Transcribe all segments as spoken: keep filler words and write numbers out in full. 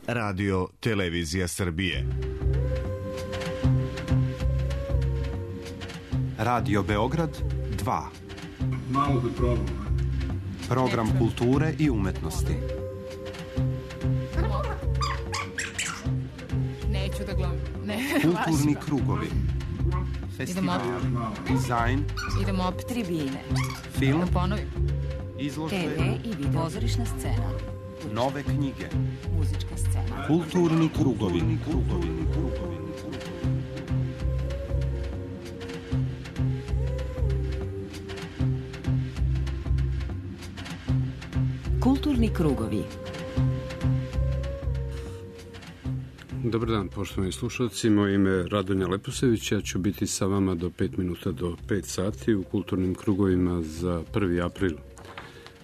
Radio Televizija Srbije. Radio Beograd dva. Malo da probam. Program kulture i umetnosti. Neću da gledam. Ne, Kulturni krugovi. Festival, dizajn. Idemo opet tribine. Film. Da ponovim. Izložbe. te ve i video. Pozorišna scena. Nove knjige. Muzička scena. Kulturni krugovi. Krugovi. Krugovi. Kulturni krugovi. Dobar dan, poštovani slušalci. Moje ime je Radonja Leposević. Ja ću biti sa vama do pet minuta do pet sati u kulturnim krugovima za prvi april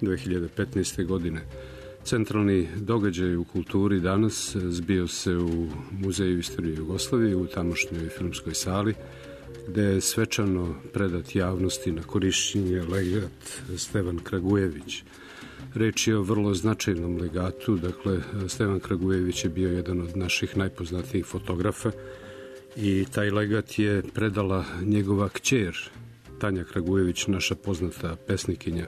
dve hiljade petnaeste. godine. Centralni događaj u kulturi danas zbio se u Muzeju istorije Jugoslavije u tamošnjoj filmskoj sali, gde je svečano predat javnosti na korišćenje legat Stevan Kragujević. Reč je o vrlo značajnom legatu. Dakle, Stevan Kragujević je bio jedan od naših najpoznatijih fotografa i taj legat je predala njegova kćer Tanja Kragujević, naša poznata pesnikinja.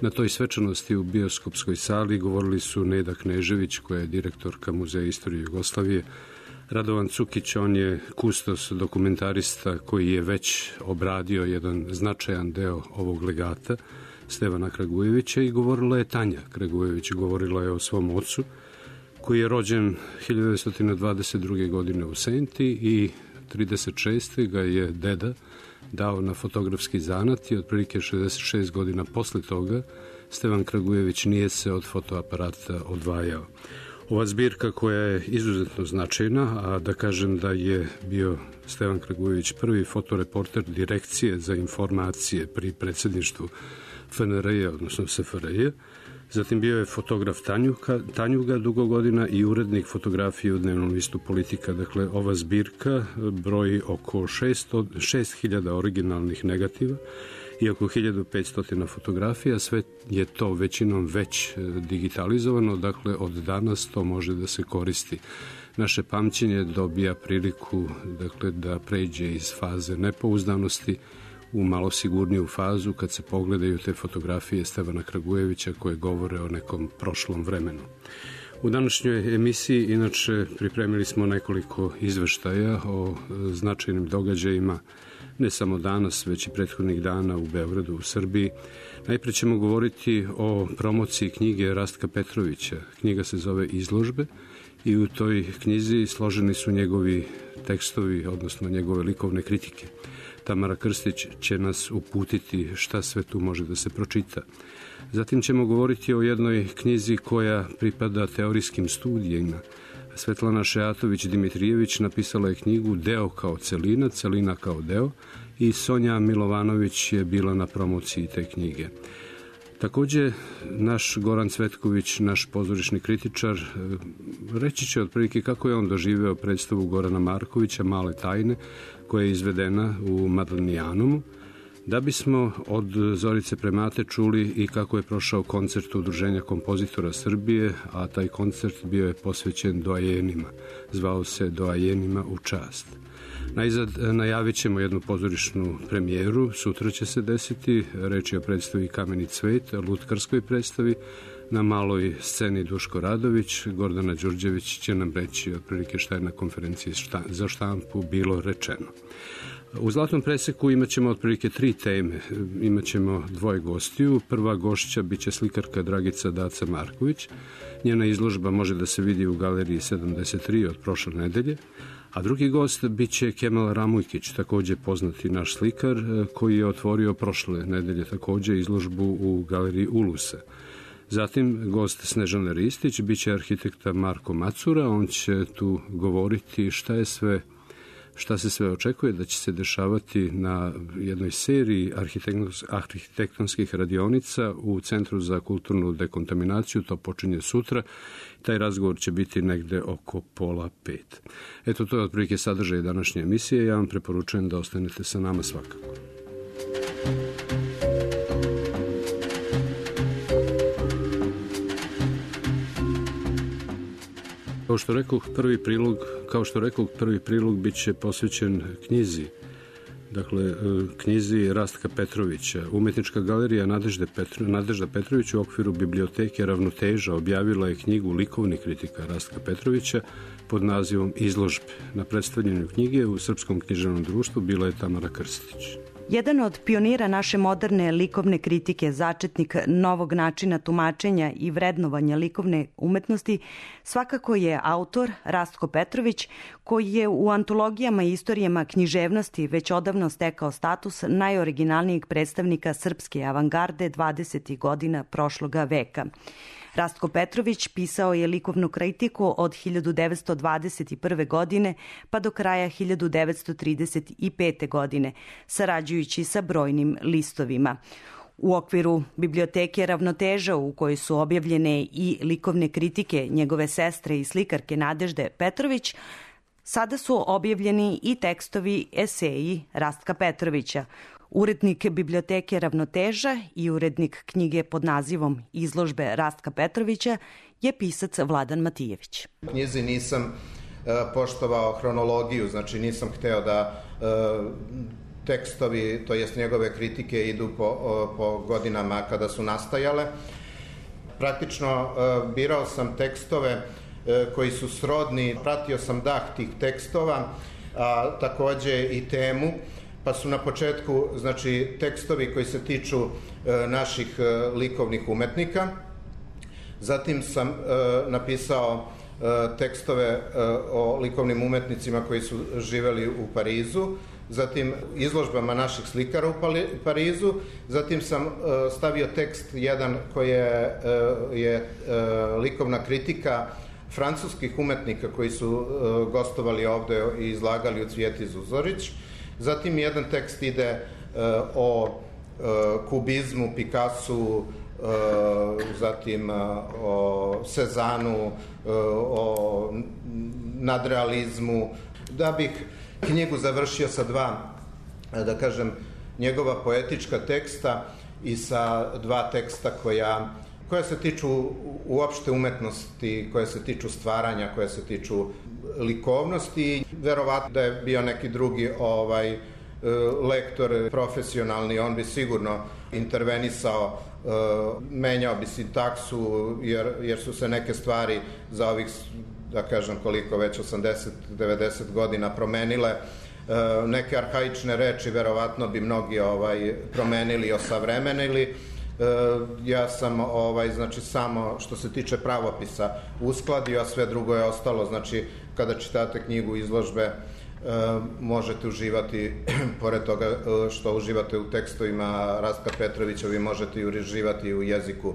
Na toj svečanosti u bioskopskoj sali govorili su Neda Knežević, koja je direktorka Muzeja istorije Jugoslavije, Radovan Cukić, on je kustos dokumentarista koji je već obradio jedan značajan deo ovog legata Stevana Kragujevića, i govorila je Tanja Kragujević, govorila je o svom ocu koji je rođen hiljadu devetsto dvadeset druge. godine u Senti i trideset šeste. ga je deda dao na fotografski zanat i otprilike šezdeset šest godina posle toga Stevan Kragujević nije se od fotoaparata odvajao. Ova zbirka koja je izuzetno značajna, a da kažem da je bio Stevan Kragujević prvi fotoreporter Direkcije za informacije pri predsjedništvu F N R J, odnosno S F R J. Zatim bio je fotograf Tanjuka, Tanjuga dugo godina i urednik fotografije u dnevnom listu Politika. Dakle, ova zbirka broji oko šest hiljada originalnih negativa i oko hiljadu petsto fotografija. Sve je to većinom već digitalizovano, dakle od danas to može da se koristi. Naše pamćenje dobija priliku, dakle, da pređe iz faze nepouzdanosti u malo sigurniju fazu kad se pogledaju te fotografije Stevana Kragujevića koje govore o nekom prošlom vremenu. U današnjoj emisiji inače pripremili smo nekoliko izveštaja o značajnim događajima, ne samo danas, već i prethodnih dana u Beogradu, u Srbiji. Najpre ćemo govoriti o promociji knjige Rastka Petrovića. Knjiga se zove Izložbe i u toj knjizi složeni su njegovi tekstovi, odnosno njegove likovne kritike. Tamara Krstić će nas uputiti šta sve tu može da se pročita. Zatim ćemo govoriti o jednoj knjizi koja pripada teorijskim studijima. Svetlana Šeatović-Dimitrijević napisala je knjigu Deo kao celina, celina kao deo, i Sonja Milovanović je bila na promociji te knjige. Takođe, naš Goran Cvetković, naš pozorišni kritičar, reći će otprilike kako je on doživeo predstavu Gorana Markovića Male tajne, koja je izvedena u Madlenijanumu, da bismo od Zorice Premate čuli i kako je prošao koncert Udruženja kompozitora Srbije, a taj koncert bio je posvećen doajenima. Zvao se Doajenima u čast. Najzad najavit ćemo jednu pozorišnu premijeru, sutra će se desiti, reč je o predstavi Kameni cvet, lutkarskoj predstavi, na maloj sceni Duško Radović. Gordana Đurđević će nam reći otprilike šta je na konferenciji za štampu bilo rečeno. U Zlatnom preseku imat ćemo otprilike tri teme. Imat ćemo dvoje gostiju. Prva gošća biće slikarka Dragica Daca Marković. Njena izložba može da se vidi u galeriji sedamdeset tri od prošle nedelje. A drugi gost biće Kemal Ramujkić, takođe poznati naš slikar, koji je otvorio prošle nedelje takođe izložbu u galeriji Ulusa. Zatim gost Snežana Ristić biće arhitekta Marko Macura. On će tu govoriti šta je sve šta se sve očekuje da će se dešavati na jednoj seriji arhitektonskih radionica u Centru za kulturnu dekontaminaciju. To počinje sutra. Taj razgovor će biti negde oko pola pet. Eto, to je otprilike sadržaj današnje emisije. Ja vam preporučujem da ostanete sa nama svakako. Kao što rekoh, prvi prilog, kao što rekoh, prvi prilog bit će posvećen knjizi. Dakle, knjizi Rastka Petrovića. Umetnička galerija Nadežde Petro, Nadežda Petrović u okviru biblioteke Ravnoteža objavila je knjigu likovnih kritika Rastka Petrovića pod nazivom Izložbe. Na predstavljanju knjige u Srpskom književnom društvu bila je Tamara Krstić. Jedan od pionira naše moderne likovne kritike, začetnik novog načina tumačenja i vrednovanja likovne umetnosti, svakako je autor Rastko Petrović, koji je u antologijama i istorijama književnosti već odavno stekao status najoriginalnijeg predstavnika srpske avangarde dvadesetih godina prošloga veka. Rastko Petrović pisao je likovnu kritiku od hiljadu devetsto dvadeset prve. godine pa do kraja hiljadu devetsto trideset pete. godine, sarađujući sa brojnim listovima. U okviru biblioteke Ravnoteža, u kojoj su objavljene i likovne kritike njegove sestre i slikarke Nadežde Petrović, sada su objavljeni i tekstovi eseji Rastka Petrovića. Urednik biblioteke Ravnoteža i urednik knjige pod nazivom Izložbe Rastka Petrovića je pisac Vladan Matijević. U knjizi nisam e, poštovao hronologiju, znači nisam hteo da e, tekstovi, to jest njegove kritike, idu po, o, po godinama kada su nastajale. Praktično e, birao sam tekstove e, koji su srodni, pratio sam dah tih tekstova, a takođe i temu, pa su na početku, znači, tekstovi koji se tiču e, naših e, likovnih umetnika. Zatim sam e, napisao e, tekstove e, o likovnim umetnicima koji su živeli u Parizu, zatim izložbama naših slikara u Parizu, zatim sam e, stavio tekst jedan koji je, e, je e, likovna kritika francuskih umetnika koji su e, gostovali ovde i izlagali u Cvijeti Zuzorić. Zatim jedan tekst ide e, o e, kubizmu, Picassu, e, zatim e, o Cezanu, e, o nadrealizmu. Da bih knjigu završio sa dva, da kažem, njegova poetička teksta i sa dva teksta koja, koja se tiču uopšte umetnosti, koja se tiču stvaranja, koja se tiču likovnosti. Verovatno da je bio neki drugi ovaj lektor profesionalni, on bi sigurno intervenisao, menjao bi sintaksu, jer, jer su se neke stvari za ovih, da kažem koliko već, osamdeset do devedeset godina promenile. Neke arhaične reči verovatno bi mnogi ovaj promenili i osavremenili. Ja sam ovaj znači samo što se tiče pravopisa uskladio, a sve drugo je ostalo. Znači kada čitate knjigu Izložbe možete uživati, pored toga što uživate u tekstovima Rastka Petrovića, vi možete i uživati u jeziku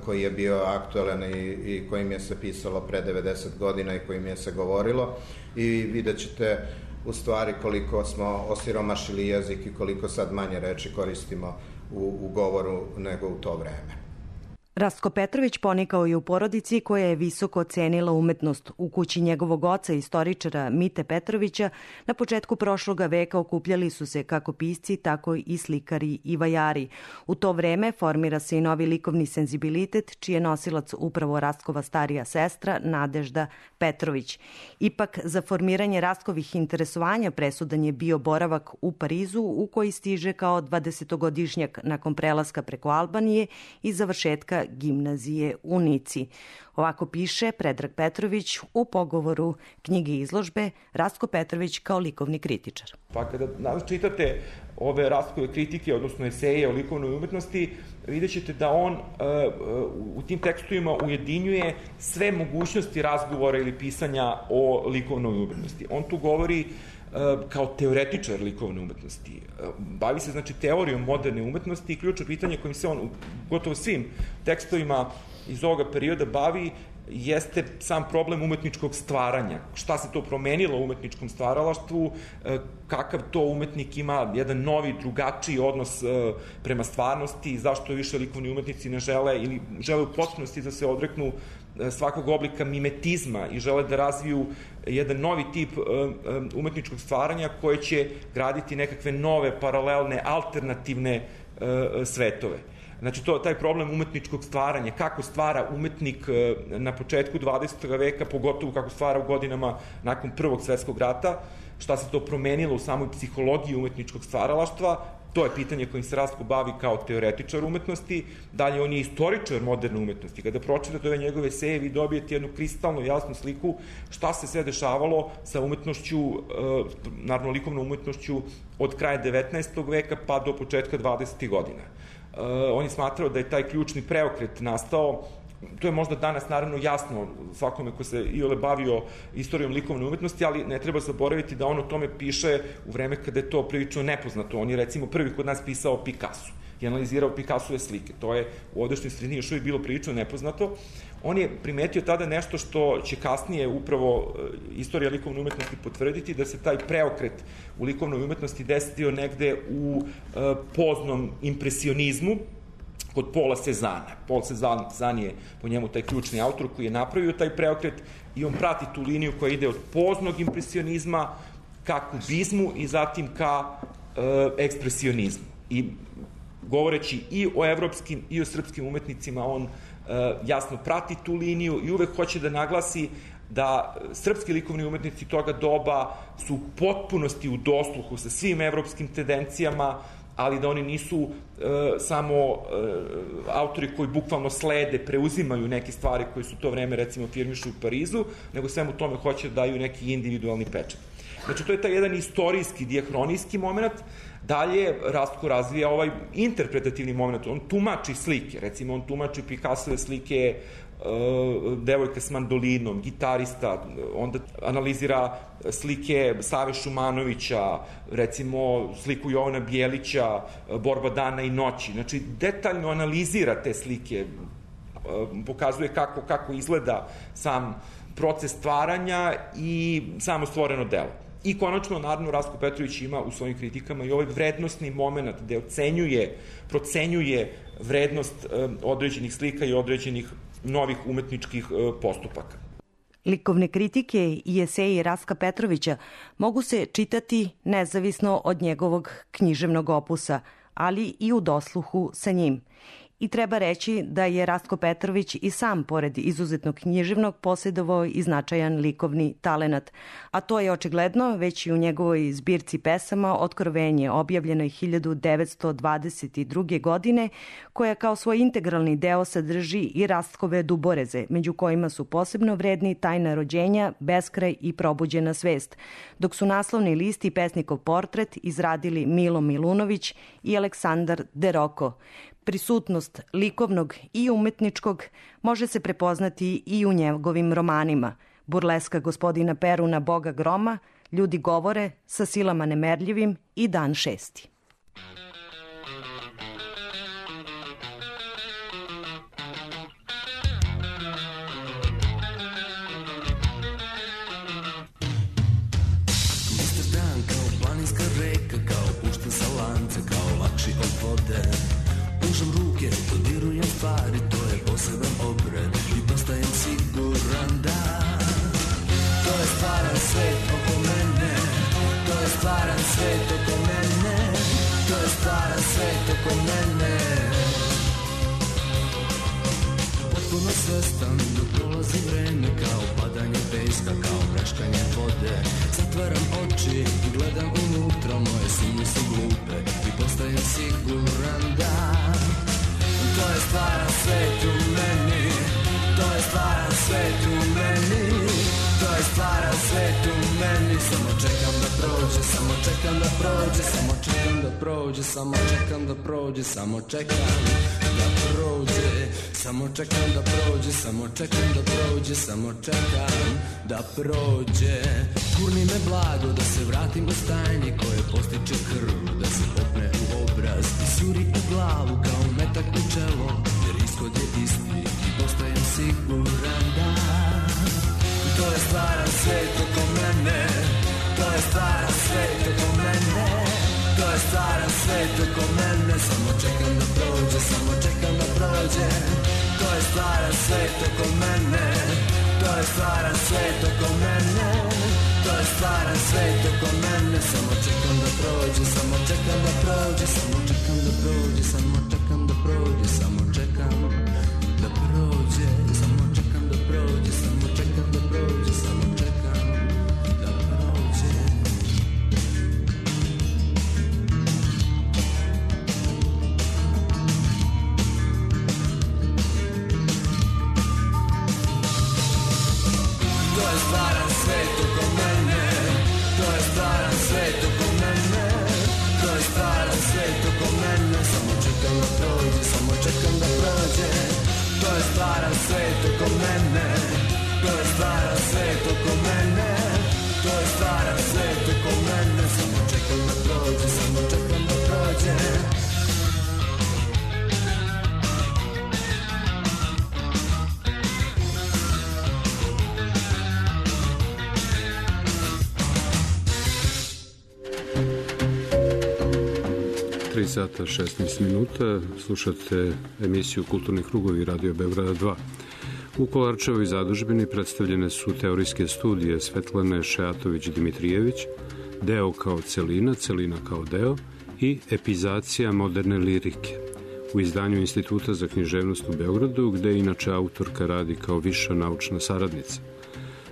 koji je bio aktualan i, i kojim je se pisalo pre devedeset godina i kojim je se govorilo, i vidjet ćete u stvari koliko smo osiromašili jezik i koliko sad manje reči koristimo u, u govoru nego u to vreme. Rastko Petrović ponikao je u porodici koja je visoko ocenila umetnost. U kući njegovog oca, istoričara Mite Petrovića, na početku prošloga veka okupljali su se kako pisci, tako i slikari i vajari. U to vreme formira se i novi likovni senzibilitet, čiji je nosilac upravo Rastkova starija sestra Nadežda Petrović. Ipak, za formiranje Rastkovih interesovanja presudan je bio boravak u Parizu, u koji stiže kao dvadesetogodišnjak nakon prelaska preko Albanije i završetka gimnazije u Nici. Ovako piše Predrag Petrović u pogovoru knjige izložbe Rastko Petrović kao likovni kritičar. Pa kada čitate ove Rastkove kritike, odnosno eseje o likovnoj umetnosti, vidjet ćete da on u tim tekstovima ujedinjuje sve mogućnosti razgovora ili pisanja o likovnoj umetnosti. On tu govori kao teoretičar likovne umetnosti. Bavi se, znači, teorijom moderne umetnosti i ključno pitanje kojim se on u gotovo svim tekstovima iz ovoga perioda bavi jeste sam problem umetničkog stvaranja. Šta se to promenilo u umetničkom stvaralaštvu, kakav to umetnik ima jedan novi, drugačiji odnos prema stvarnosti, zašto više likovni umetnici ne žele ili žele u potpunosti da se odreknu svakog oblika mimetizma i žele da razviju jedan novi tip umetničkog stvaranja koje će graditi nekakve nove, paralelne, alternativne svetove. Znači, to, taj problem umetničkog stvaranja, kako stvara umetnik na početku dvadesetog veka, pogotovo kako stvara u godinama nakon Prvog svetskog rata, šta se to promenilo u samoj psihologiji umetničkog stvaralaštva, to je pitanje kojim se Rastko bavi kao teoretičar umetnosti. Dalje, on je istoričar moderne umetnosti. Kada pročitate ove njegove eseje, vi dobijete jednu kristalno jasnu sliku šta se sve dešavalo sa umetnošću, naravno likovnom umetnošću od kraja devetnaestog veka pa do početka dvadesetih godina. On je smatrao da je taj ključni preokret nastao. To je možda danas naravno jasno svakome ko se iole bavio istorijom likovne umetnosti, ali ne treba zaboraviti da on o tome piše u vreme kada je to prilično nepoznato. On je recimo prvi kod nas pisao Picasso i analizirao Picassove slike. To je u ovdašnjoj sredini još uvijek bilo prilično nepoznato. On je primetio tada nešto što će kasnije upravo istorija likovne umetnosti potvrditi, da se taj preokret u likovnoj umetnosti desio negde u poznom impresionizmu, kod Paula Cézanne. Paul Cézanne je po njemu taj ključni autor koji je napravio taj preokret i on prati tu liniju koja ide od poznog impresionizma ka kubizmu i zatim ka e, ekspresionizmu. I govoreći i o evropskim i o srpskim umetnicima, on e, jasno prati tu liniju i uvek hoće da naglasi da srpski likovni umetnici toga doba su u potpunosti u dosluhu sa svim evropskim tendencijama, ali da oni nisu e, samo e, autori koji bukvalno slede, preuzimaju neke stvari koje su to vreme, recimo, firmišu u Parizu, nego svemu tome hoće da daju neki individualni pečat. Znači, to je taj jedan istorijski, dijahronijski moment. Dalje, Rastko razvija ovaj interpretativni moment. On tumači slike, recimo, on tumači Picassove slike devojka s mandolinom, gitarista, onda analizira slike Save Šumanovića, recimo sliku Jovana Bijelića, Borba dana i noći. Znači, detaljno analizira te slike, pokazuje kako, kako izgleda sam proces stvaranja i samo stvoreno delo. I konačno, naravno, Rastko Petrović ima u svojim kritikama i ovaj vrednostni moment gde ocenjuje, procenjuje vrednost određenih slika i određenih novih umetničkih postupaka. Likovne kritike i eseji Rastka Petrovića mogu se čitati nezavisno od njegovog književnog opusa, ali i u dosluhu sa njim. I treba reći da je Rastko Petrović i sam, pored izuzetnog književnog, posjedovao i značajan likovni talenat. A to je očigledno već i u njegovoj zbirci pesama Otkrovenje, objavljenoj hiljadu devetsto dvadeset druge. godine, koja kao svoj integralni deo sadrži i Rastkove duboreze, među kojima su posebno vredni Tajna rođenja, Beskraj i Probuđena svest, dok su naslovni list i pesnikov portret izradili Milo Milunović i Aleksandar Deroko. Prisutnost likovnog i umetničkog može se prepoznati i u njegovim romanima. Burleska gospodina Peruna, Boga groma, Ljudi govore, Sa silama nemerljivim i Dan šesti. Stvari, to je poseban obred i postajem siguran da to je stvaran svet oko mene, to je stvaran svet oko mene, to je stvaran svet oko mene. Potpuno svestan dok prolazi vreme, kao padanje peska, kao mreškanje vode. Zatvaram oči i gledam unutra, moje sumnje su glupe i postajem siguran da to je stvaran svet u meni, to je stvaran svet u meni, to je stvaran svet u meni. Samo čekam da prođe, samo čekam da prođe, samo čekam da prođe, samo čekam da prođe, samo čekam da prođe, samo čekam da prođe, samo čekam da prođe, samo čekam da prođe. Gurni me blago da se vratim u stajnje koje postiče krv, da se popne u obraz i suri u glavu kao metak u čelo, jer ishod je isti i postajem siguran da to je stvaran svet oko mene, to je stvaran svet oko mene, to je stvaran svet oko mene. Samo čekam da prođe, samo čekam da prođe, to je stvaran svet oko mene, to je stvaran svet oko mene, to je stvaran svet oko mene. Samo čekam da prođe, samo čekam da prođe, samo čekam da prođe, samo čekam da prođe, samo čekam da prođe, samo čekam da prođe, samo čekam da prođe, samo čekam da prođe. To je stvaran svet oko mene, to je stvaran svet oko mene, to je stvaran svet oko mene, samo čekam da prođe, samo čekam da prođe. To je stvaran svet oko mene, to je stvaran svet oko mene, to je stvaran svet oko mene, samo čekam da prođe, samo čekam da prođe. tri sata šesnaest minuta, slušate emisiju Kulturni krugovi Radio Beograda dva. U Kolarčevoj zadužbini predstavljene su teorijske studije Svetlane Šeatović-Dimitrijević, Deo kao celina, celina kao deo i Epizacija moderne lirike u izdanju Instituta za književnost u Beogradu, gde inače autorka radi kao viša naučna saradnica.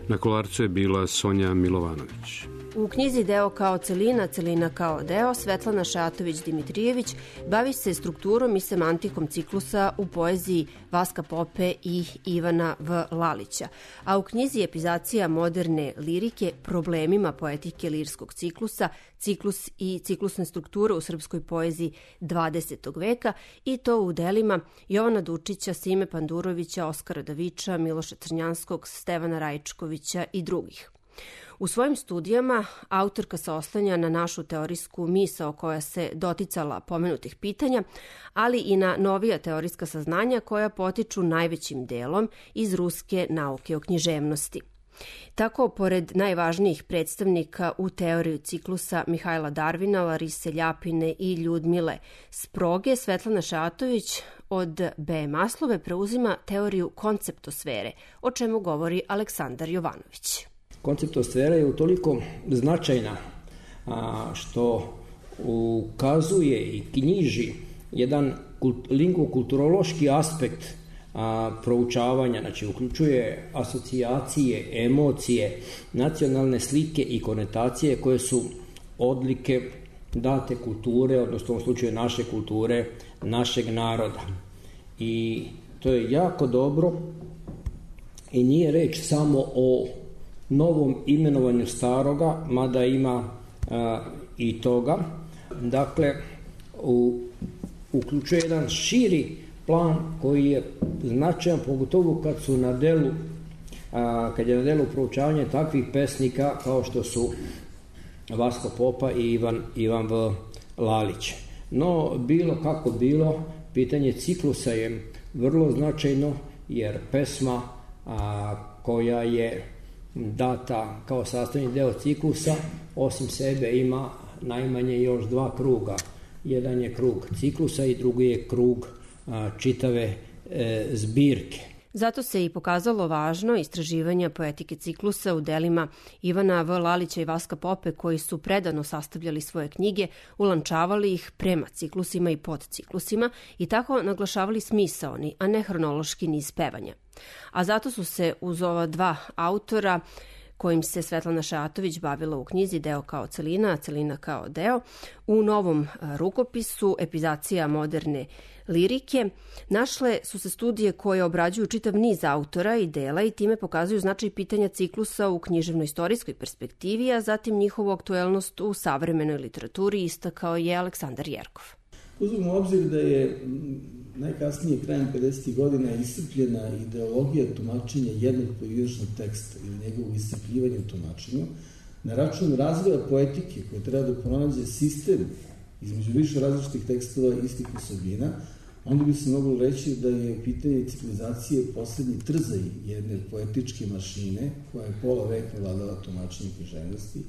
Na Kolarcu je bila Sonja Milovanović. U knjizi Deo kao celina, celina kao deo, Svetlana Šeatović-Dimitrijević bavi se strukturom i semantikom ciklusa u poeziji Vaska Pope i Ivana V. Lalića, a u knjizi Epizacija moderne lirike problemima poetike lirskog ciklusa, ciklus i ciklusne strukture u srpskoj poeziji dvadesetog veka, i to u delima Jovana Dučića, Sime Pandurovića, Oskara Daviča, Miloša Crnjanskog, Stevana Rajičkovića i drugih. U svojim studijama autorka se oslanja na našu teorijsku misao koja se doticala pomenutih pitanja, ali i na novija teorijska saznanja koja potiču najvećim delom iz ruske nauke o književnosti. Tako, pored najvažnijih predstavnika u teoriju ciklusa Mihajla Darvina, Larise Ljapine i Ljudmile Sproge, Svetlana Šeatović od B. Maslove preuzima teoriju konceptosfere, o čemu govori Aleksandar Jovanović. Konceptosfera je utoliko značajna a, što ukazuje i knjiži jedan kult, lingvokulturološki aspekt a, proučavanja, znači uključuje asocijacije, emocije, nacionalne slike i konotacije koje su odlike date kulture, odnosno u ovom slučaju naše kulture, našeg naroda. I to je jako dobro i nije reč samo o novom imenovanju staroga, mada ima a, i toga. Dakle, u, uključuje jedan širi plan koji je značajan, pogotovo kad su na delu, a, kad je na delu proučavanje takvih pesnika kao što su Vasko Popa i Ivan, Ivan V. Lalić. No, bilo kako bilo, pitanje ciklusa je vrlo značajno, jer pesma a, koja je data kao sastavni deo ciklusa, osim sebe ima najmanje još dva kruga. Jedan je krug ciklusa i drugi je krug a, čitave e, zbirke. Zato se i pokazalo važno istraživanja poetike ciklusa u delima Ivana V. Lalića i Vaska Pope, koji su predano sastavljali svoje knjige, ulančavali ih prema ciklusima i podciklusima i tako naglašavali smisaoni, a ne hronološki niz pevanja. A zato su se uz ova dva autora, kojim se Svetlana Šeatović bavila u knjizi Deo kao celina, a celina kao deo, u novom rukopisu Epizacija moderne lirike, našle su se studije koje obrađuju čitav niz autora i dela i time pokazuju značaj pitanja ciklusa u književno-istorijskoj perspektivi, a zatim njihovu aktuelnost u savremenoj literaturi, istakao je Aleksandar Jerkov. Uzmimo u obzir da je najkasnije krajem pedesetih godina iscrpljena ideologija tumačenja jednog pojedinačnog teksta ili njegovog iscrpljivanja u tumačenju na račun razvoja poetike koja treba da pronađe sistem između više različitih tekstova istih osobina, onda bi se moglo reći da je pitanje civilizacije poslednji trzaj jedne poetičke mašine koja je pola veka vladala tumačenje književnosti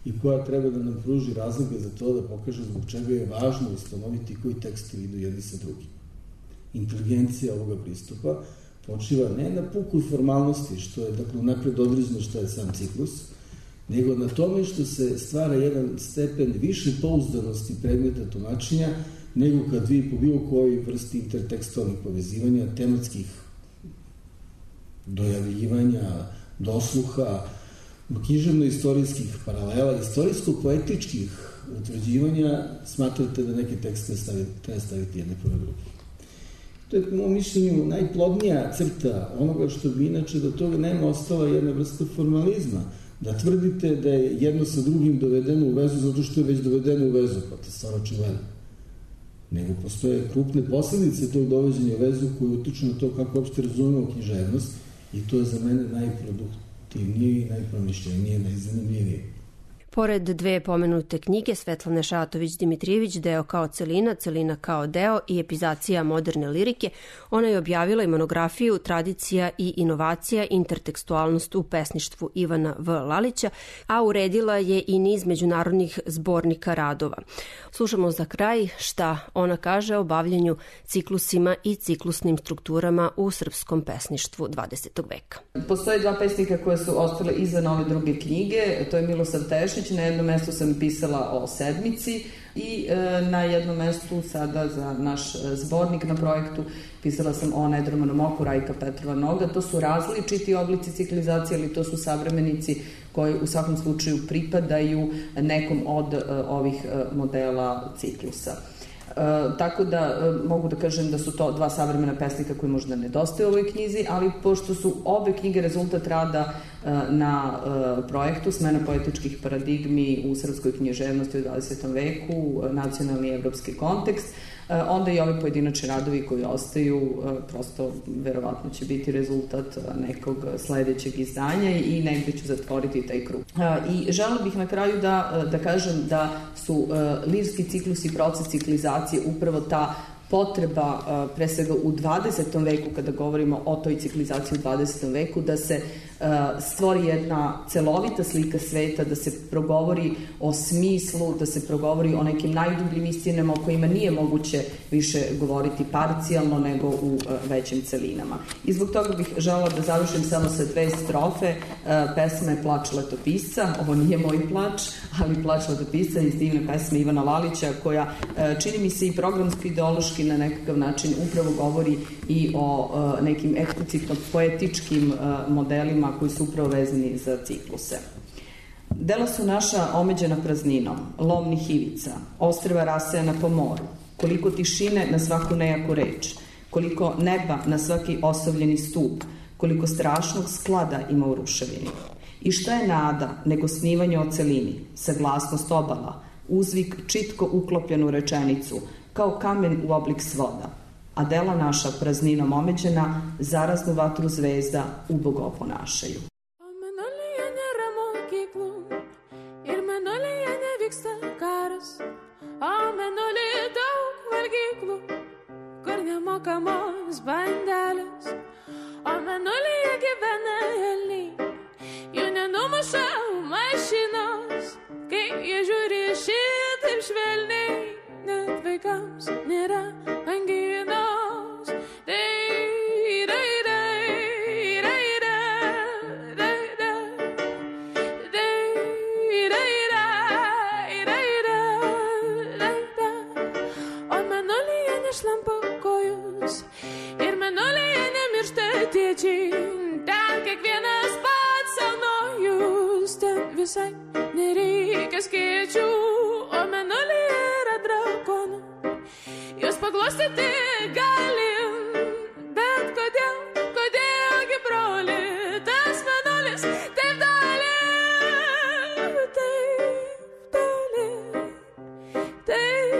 i koja treba da nam pruži razloge za to da pokaže zbog čega je važno ustanoviti koji tekstovi idu jedni sa drugim. Inteligencija ovoga pristupa počiva ne na pukoj formalnosti, što je dakle napred određeno što je sam ciklus, nego na tome što se stvara jedan stepen više pouzdanosti predmeta tumačenja, nego kad vi po bilo kojoj vrsti intertekstualnih povezivanja, tematskih dojavljivanja, dosluha, književno-istorijskih paralela, istorijsko-poetičkih utvrđivanja, smatrate da neke tekste staviti, treba staviti jedne pored drugih. To je, po mojom mišljenju, najplodnija crta onoga što bi inače do toga nema ostala jedna vrsta formalizma, da tvrdite da je jedno sa drugim dovedeno u vezu zato što je već dovedeno u vezu, pa to je stvar očigledno. Nego postoje krupne posledice tog doveđenja u vezu koje utiču na to kako uopšte razumemo književnost i to je za mene najproduktivnije i najpromišljenije, najzanimljivije. Pored dve pomenute knjige Svetlane Šatović-Dimitrijević, Deo kao celina, celina kao deo i epizacija moderne lirike, ona je objavila i monografiju Tradicija i inovacija, intertekstualnost u pesništvu Ivana V. Lalića, a uredila je i niz međunarodnih zbornika radova. Slušamo za kraj šta ona kaže o bavljenju ciklusima i ciklusnim strukturama u srpskom pesništvu dvadesetog veka. Postoje dva pesnika koje su ostale izvan ove druge knjige, to je Milosav Tešić. Na jednom mestu sam pisala o sedmici i e, na jednom mestu sada za naš zbornik na projektu pisala sam o Nedromanom oku Rajka Petrova Noga. To su različiti oblici ciklizacije, ali to su savremenici koji u svakom slučaju pripadaju nekom od e, ovih e, modela ciklusa. E, tako da e, mogu da kažem da su to dva savremena pesnika koji možda nedostaju u ovoj knjizi, ali pošto su obe knjige rezultat rada e, na e, projektu Smena poetičkih paradigmi u srpskoj književnosti u dvadesetom veku, nacionalni i evropski kontekst, e, onda i ovi pojedinačni radovi koji ostaju e, prosto verovatno će biti rezultat nekog sledećeg izdanja i negde ću zatvoriti taj krug. E, I želela bih na kraju da, da kažem da su e, lirski ciklus i proces ciklizacije upravo ta potreba, pre svega u dvadesetom veku, kada govorimo o toj ciklizaciji u dvadesetom veku, da se stvori jedna celovita slika sveta, da se progovori o smislu, da se progovori o nekim najdubljim istinama o kojima nije moguće više govoriti parcijalno nego u većim celinama. I zbog toga bih želela da završim samo sa dve strofe pesme Plač letopisca. Ovo nije moj plač, ali Plač letopisca iz divne pesme Ivana Lalića, koja čini mi se i programsko-ideološki na nekakav način upravo govori i o nekim eksplicitno poetičkim modelima koji su upravo vezani za cikluse. Dela su naša omeđena prazninom, lomnih ivica, ostrva rasejana po moru, koliko tišine na svaku nejaku reč, koliko neba na svaki osovljeni stup, koliko strašnog sklada ima u ruševini. I šta je nada nego snivanje o celini, saglasnost obala, uzvik čitko uklopljen u rečenicu, kao kamen u oblik svoda, a dela naša prazninom omeđena zaraznu vatru zvezda ubogo oponašaju. Mokamos bandeles, o mėnulyje gyvena elniai, jų nenumuša mašinos, kai jie žiūri šitaip švelniai, net vaikams nėra anginos. Dai, dai, dai, dai, dai, dai, dai, dai, dai, dai, dai, dai, o mėnulyje nešlampa ir mėnulyje nemiršta tėčiai, ten kiekvienas pats senojus, ten visai nereikia skėčių, o mėnulyje yra drakonų, juos paglostyti galim, bet kodėl, kodėlgi broli, tas mėnulis taip toli, taip toli, taip.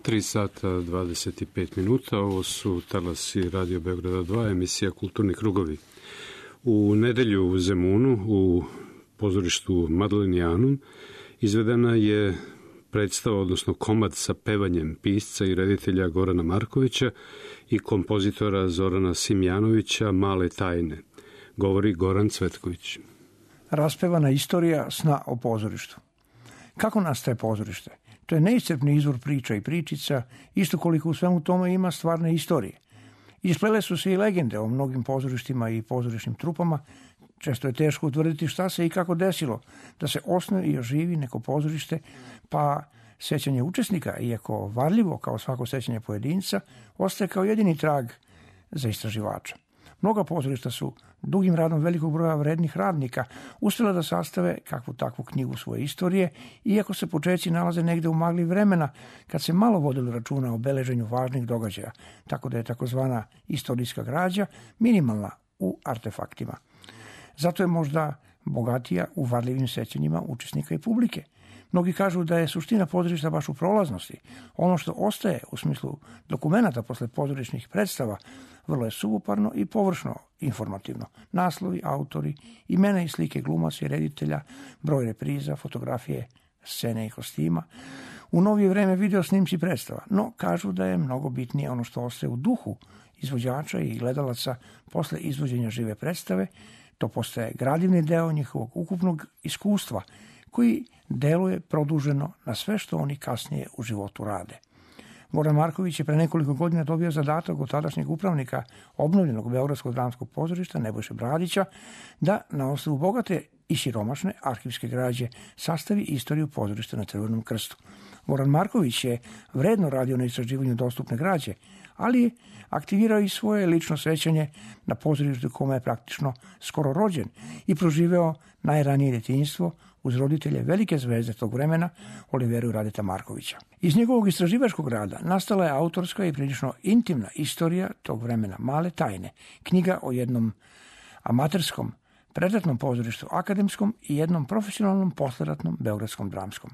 tri sata dvadeset pet minuta, ovo su talasi Radio Beograda dva, emisija Kulturni krugovi. U nedelju u Zemunu u pozorištu Madlenijanum izvedena je predstava, odnosno komad sa pevanjem pisca i reditelja Gorana Markovića i kompozitora Zorana Simjanovića Male tajne. Govori Goran Cvetković. Raspevana istorija sna o pozorištu. Kako nastaje pozorište? To je neiscrpni izvor priča i pričica, isto koliko u svemu tome ima stvarne istorije. Isplele su se i legende o mnogim pozorištima i pozorišnim trupama. Često je teško utvrditi šta se i kako desilo da se osnuje i oživi neko pozorište, pa sećanje učesnika, iako varljivo kao svako sećanje pojedinca, ostaje kao jedini trag za istraživača. Mnoga pozorišta su dugim radom velikog broja vrednih radnika uspjela da sastave kakvu takvu knjigu svoje istorije, iako se počeci nalaze negde u magli vremena kad se malo vodilo računa o beleženju važnih događaja, tako da je takozvana istorijska građa minimalna u artefaktima. Zato je možda bogatija u varljivim sećanjima učesnika i publike. Mnogi kažu da je suština pozorišta baš u prolaznosti. Ono što ostaje u smislu dokumenata posle pozorišnih predstava vrlo je suvoparno i površno informativno. Naslovi, autori, imena i slike glumaca i reditelja, broj repriza, fotografije, scene i kostima. U novije vreme video snimci predstava, no kažu da je mnogo bitnije ono što ostaje u duhu izvođača i gledalaca posle izvođenja žive predstave. To postaje gradivni deo njihovog ukupnog iskustva koji deluje produženo na sve što oni kasnije u životu rade. Goran Marković je pre nekoliko godina dobio zadatak od tadašnjeg upravnika obnovljenog Beogradskog dramskog pozorišta Nebojše Bradića da na osnovu bogate i siromašne arhivske građe sastavi istoriju pozorišta na Crvenom krstu. Goran Marković je vredno radio na istraživanju dostupne građe, ali je aktivirao i svoje lično sećanje na pozorištu kome je praktično skoro rođen i proživeo najranije djetinjstvo uz roditelje velike zvezde tog vremena, Oliveru i Radeta Markovića. Iz njegovog istraživačkog rada nastala je autorska i prilično intimna istorija tog vremena Male tajne, knjiga o jednom amaterskom predratnom pozorištu akademskom i jednom profesionalnom posleratnom beogradskom dramskom.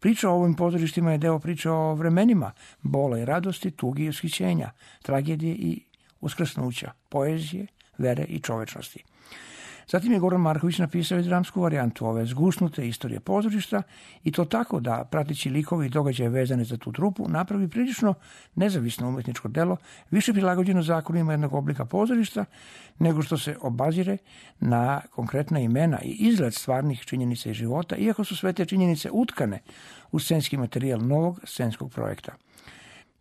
Priča o ovim pozorištima je deo priče o vremenima bola i radosti, tugi i ushićenja, tragedije i uskrsnuća, poezije, vere i čovečnosti. Zatim je Goran Marković napisao i dramsku varijantu ove zgusnute istorije pozorišta i to tako da, prateći likovi i događaje vezane za tu trupu, napravi prilično nezavisno umetničko delo, više prilagođeno zakonima jednog oblika pozorišta, nego što se obazire na konkretna imena i izgled stvarnih činjenica i života, iako su sve te činjenice utkane u scenski materijal novog scenskog projekta.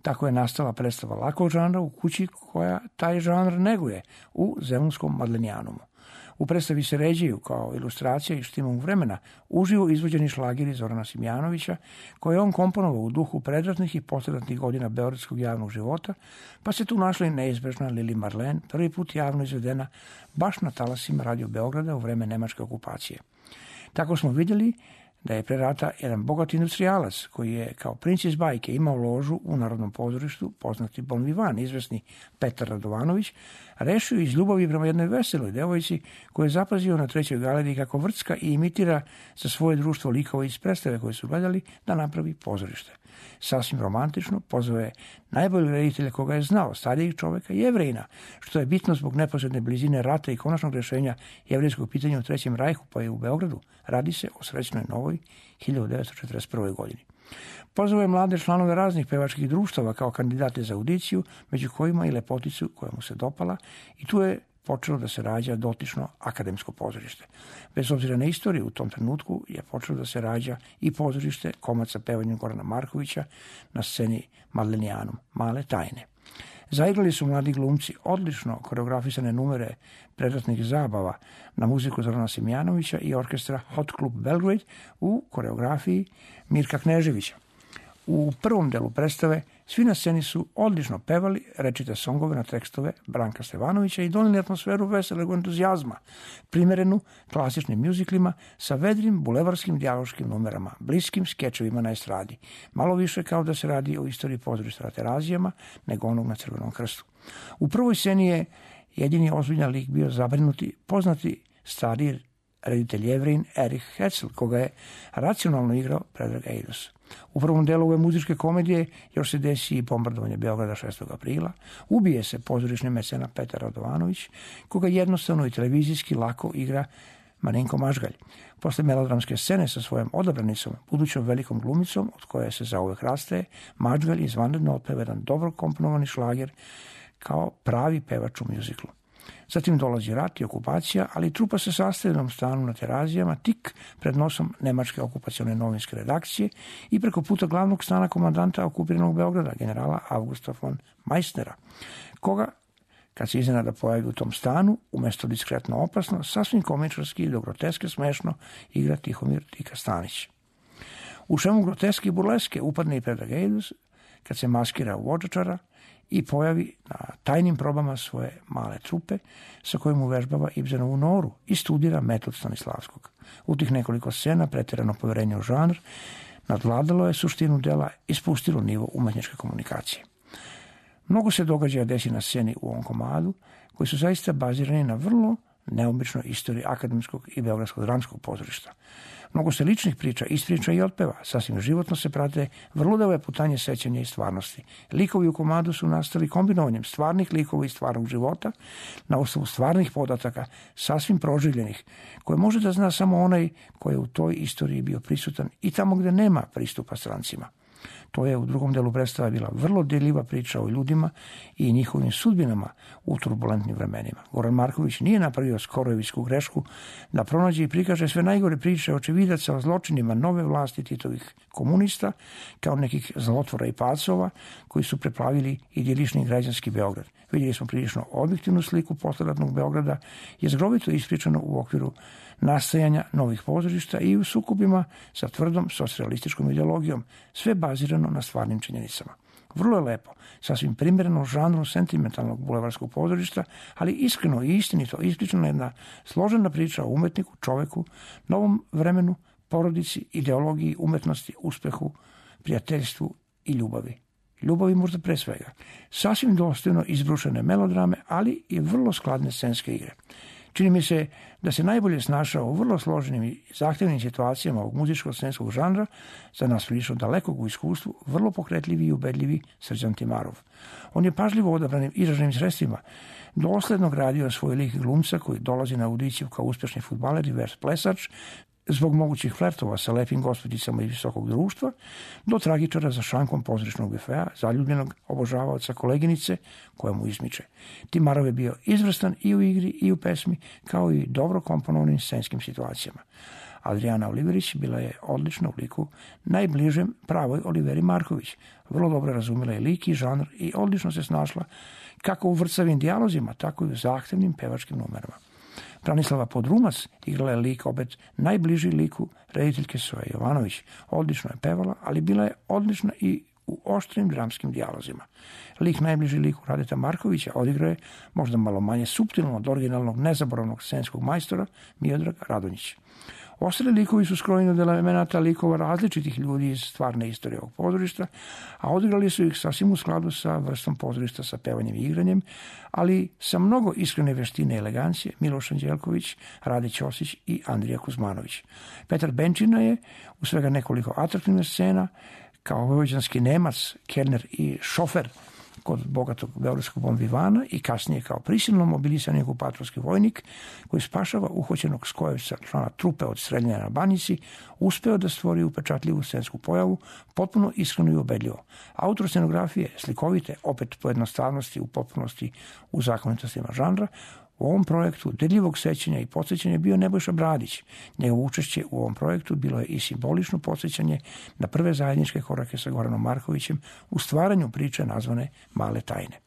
Tako je nastala predstava lakog žanra u kući koja taj žanr neguje u Zemunskom Madlenijanumu. U predstavi se ređaju kao ilustracija i štimom vremena uživo izvođeni šlageri Zorana Simjanovića, koje je on komponovao u duhu predratnih i posledratnih godina beogradskog javnog života, pa se tu našla i neizbežna Lili Marlen, prvi put javno izvedena baš na talasima Radio Beograda u vreme nemačke okupacije. Tako smo vidjeli da je pre rata jedan bogat industrijalac koji je kao princ iz bajke imao ložu u Narodnom pozorištu, poznati bon vivant, izvesni Petar Radovanović, rešio iz ljubavi prema jednoj veseloj devojci koju je zapazio na trećoj galeriji kako vrcka i imitira za svoje društvo likova iz predstave koje su gledali da napravi pozorište. Sasvim romantično pozvao je najboljeg reditelja koga je znao, starijeg čoveka, Jevrejina, što je bitno zbog neposredne blizine rata i konačnog rešenja jevrejskog pitanja u Trećem rajhu, pa i u Beogradu. Radi se o srećnoj novoj hiljadu devetsto četrdeset prve. godini. Pozvao je mlade članove raznih pevačkih društava kao kandidate za audiciju, među kojima i lepoticu koja mu se dopala, i tu je počelo da se rađa dotično akademsko pozorište. Bez obzira na istoriju, u tom trenutku je počelo da se rađa i pozorište komad sa pevanjem Gorana Markovića na sceni Madlenijanum, Male tajne. Zaigrali su mladi glumci odlično koreografisane numere predratnih zabava na muziku Zorana Simjanovića i orkestra Hot Club Belgrade u koreografiji Mirka Kneževića. U prvom delu predstave svi na sceni su odlično pevali rečite songove na tekstove Branka Stevanovića i doneli atmosferu veselog entuzijazma, primerenu klasičnim mjuziklima sa vedrim bulevarskim dijaloškim numerama, bliskim skečevima na estradi, malo više kao da se radi o istoriji pozorišta na Terazijama nego onog na Crvenom krstu. U prvoj sceni je jedini ozbiljan lik bio zabrinuti, poznati stariji reditelj Jevrejin Erich Hetzel, koga je racionalno igrao Predrag Eidos. U prvom delu ove muzičke komedije još se desi i bombardovanje Beograda šestog aprila, ubije se pozorišni mecena Petar Radovanović, koga jednostavno i televizijski lako igra Marinko Mažgalj. Posle melodramske scene sa svojom odabranicom, budućom velikom glumicom, od koje se zauvek rastaje, Mažgalj izvanredno otpeva jedan dobro komponovani šlager kao pravi pevač u mjuziklu. Zatim dolazi rat i okupacija, ali trupa se sastaje u jednom stanu na Terazijama, tik pred nosom nemačke okupacione novinske redakcije i preko puta glavnog stana komandanta okupiranog Beograda, generala Augusta von Meissnera, koga, kad se iznenada pojavi u tom stanu, umesto diskretno opasno, sasvim komičarski i do groteske smešno igra Tihomir Tika Stanić. U šemu groteske i burleske upadne i Predrag Ejdus, kad se maskira u Odžačara i pojavi na tajnim probama svoje male trupe sa kojim uvežbava Ibsenovu Noru i studira metod Stanislavskog. U tih nekoliko scena pretjerano poverenje u žanr nadvladalo je suštinu dela i spustilo nivo umetničke komunikacije. Mnogo se događaja desi na sceni u ovom komadu, koji su zaista bazirani na vrlo neobičnoj istoriji akademskog i beogradskog dramskog pozorišta. Mnogo se ličnih priča, ispriča i otpeva, sasvim životno se prate vrlo deve putanje sećanja i stvarnosti. Likovi u komadu su nastali kombinovanjem stvarnih likova i stvarnog života na osnovu stvarnih podataka, sasvim proživljenih, koje može da zna samo onaj koji je u toj istoriji bio prisutan i tamo gde nema pristupa strancima. To je u drugom delu predstava bila vrlo deljiva priča o ljudima i njihovim sudbinama u turbulentnim vremenima. Goran Marković nije napravio skorojevićku grešku da pronađe i prikaže sve najgore priče očevidaca o zločinima nove vlasti Titovih komunista kao nekih zlotvora i pacova koji su preplavili idilični građanski Beograd. Vidjeli smo prilično objektivnu sliku posleratnog Beograda, je zgrovito ispričano u okviru nastajanja novih pozorišta i u sukobima sa tvrdom socijalističkom ideologijom, sve bazirano na stvarnim činjenicama. Vrlo je lepo, sasvim primjereno žanru sentimentalnog bulevarskog pozorišta, ali iskreno i istinito ispričana jedna složena priča o umetniku, čoveku, novom vremenu, porodici, ideologiji, umetnosti, uspehu, prijateljstvu i ljubavi. Ljubavi možda pre svega. Sasvim dostojno izbrušene melodrame, ali i vrlo skladne scenske igre. Čini mi se da se najbolje snašao u vrlo složenim i zahtevnim situacijama ovog muzičkog scenskog žanra, za nas prilično dalekog u iskustvu, vrlo pokretljivi i ubedljivi Srđan Timarov. On je pažljivo odabranim izraženim sredstvima dosledno gradio svoj lik glumca koji dolazi na audiciju kao uspešni fudbaler i vers plesač, zbog mogućih flertova sa lepim gospođicama iz visokog društva, do tragičara za šankom pozorišnog bifea, zaljubljenog obožavaoca koleginice koja mu izmiče. Timarov je bio izvrstan i u igri i u pesmi, kao i dobro komponovanim scenskim situacijama. Adriana Oliverić bila je odlična u liku najbližem pravoj Oliveri Marković. Vrlo dobro razumjela je lik i žanr i odlično se snašla kako u vrcavim dijalozima, tako i u zahtevnim pevačkim numerama. Branislava Podrumac igrala je lik opet najbliži liku rediteljke Soje Jovanović. Odlično je pevala, ali bila je odlična i u oštrim dramskim dijalozima. Lik najbliži liku Radeta Markovića odigrao je možda malo manje suptilno od originalnog nezaboravnog scenskog majstora Miodrag Radonjić. Ostali likovi su skrojeni od elemenata likova različitih ljudi iz stvarne istorije ovog pozorišta, a odigrali su ih sasvim u skladu sa vrstom pozorišta sa pevanjem i igranjem, ali sa mnogo iskrene veštine i elegancije Miloš Anđelković, Rade Ćosić i Andrija Kuzmanović. Petar Benčina je u svega nekoliko atraktivnih scena kao vojvođanski Nemac, kelner i šofer kod bogatog beogradskog bonvivana i kasnije kao prisilno mobilisani okupatorski vojnik koji spašava uhoćenog Skojevca, člana trupe od streljanja na Banjici, uspeo da stvori upečatljivu scensku pojavu, potpuno iskreno i ubedljivo. Autor scenografije, slikovite, opet po jednostavnosti u potpunosti u zakonitostima žanra, u ovom projektu dedljivog sećanja i podsjećanja bio Nebojša Bradić. Njegovo učešće u ovom projektu bilo je i simbolično podsjećanje na prve zajedničke korake sa Goranom Markovićem u stvaranju priče nazvane Male tajne.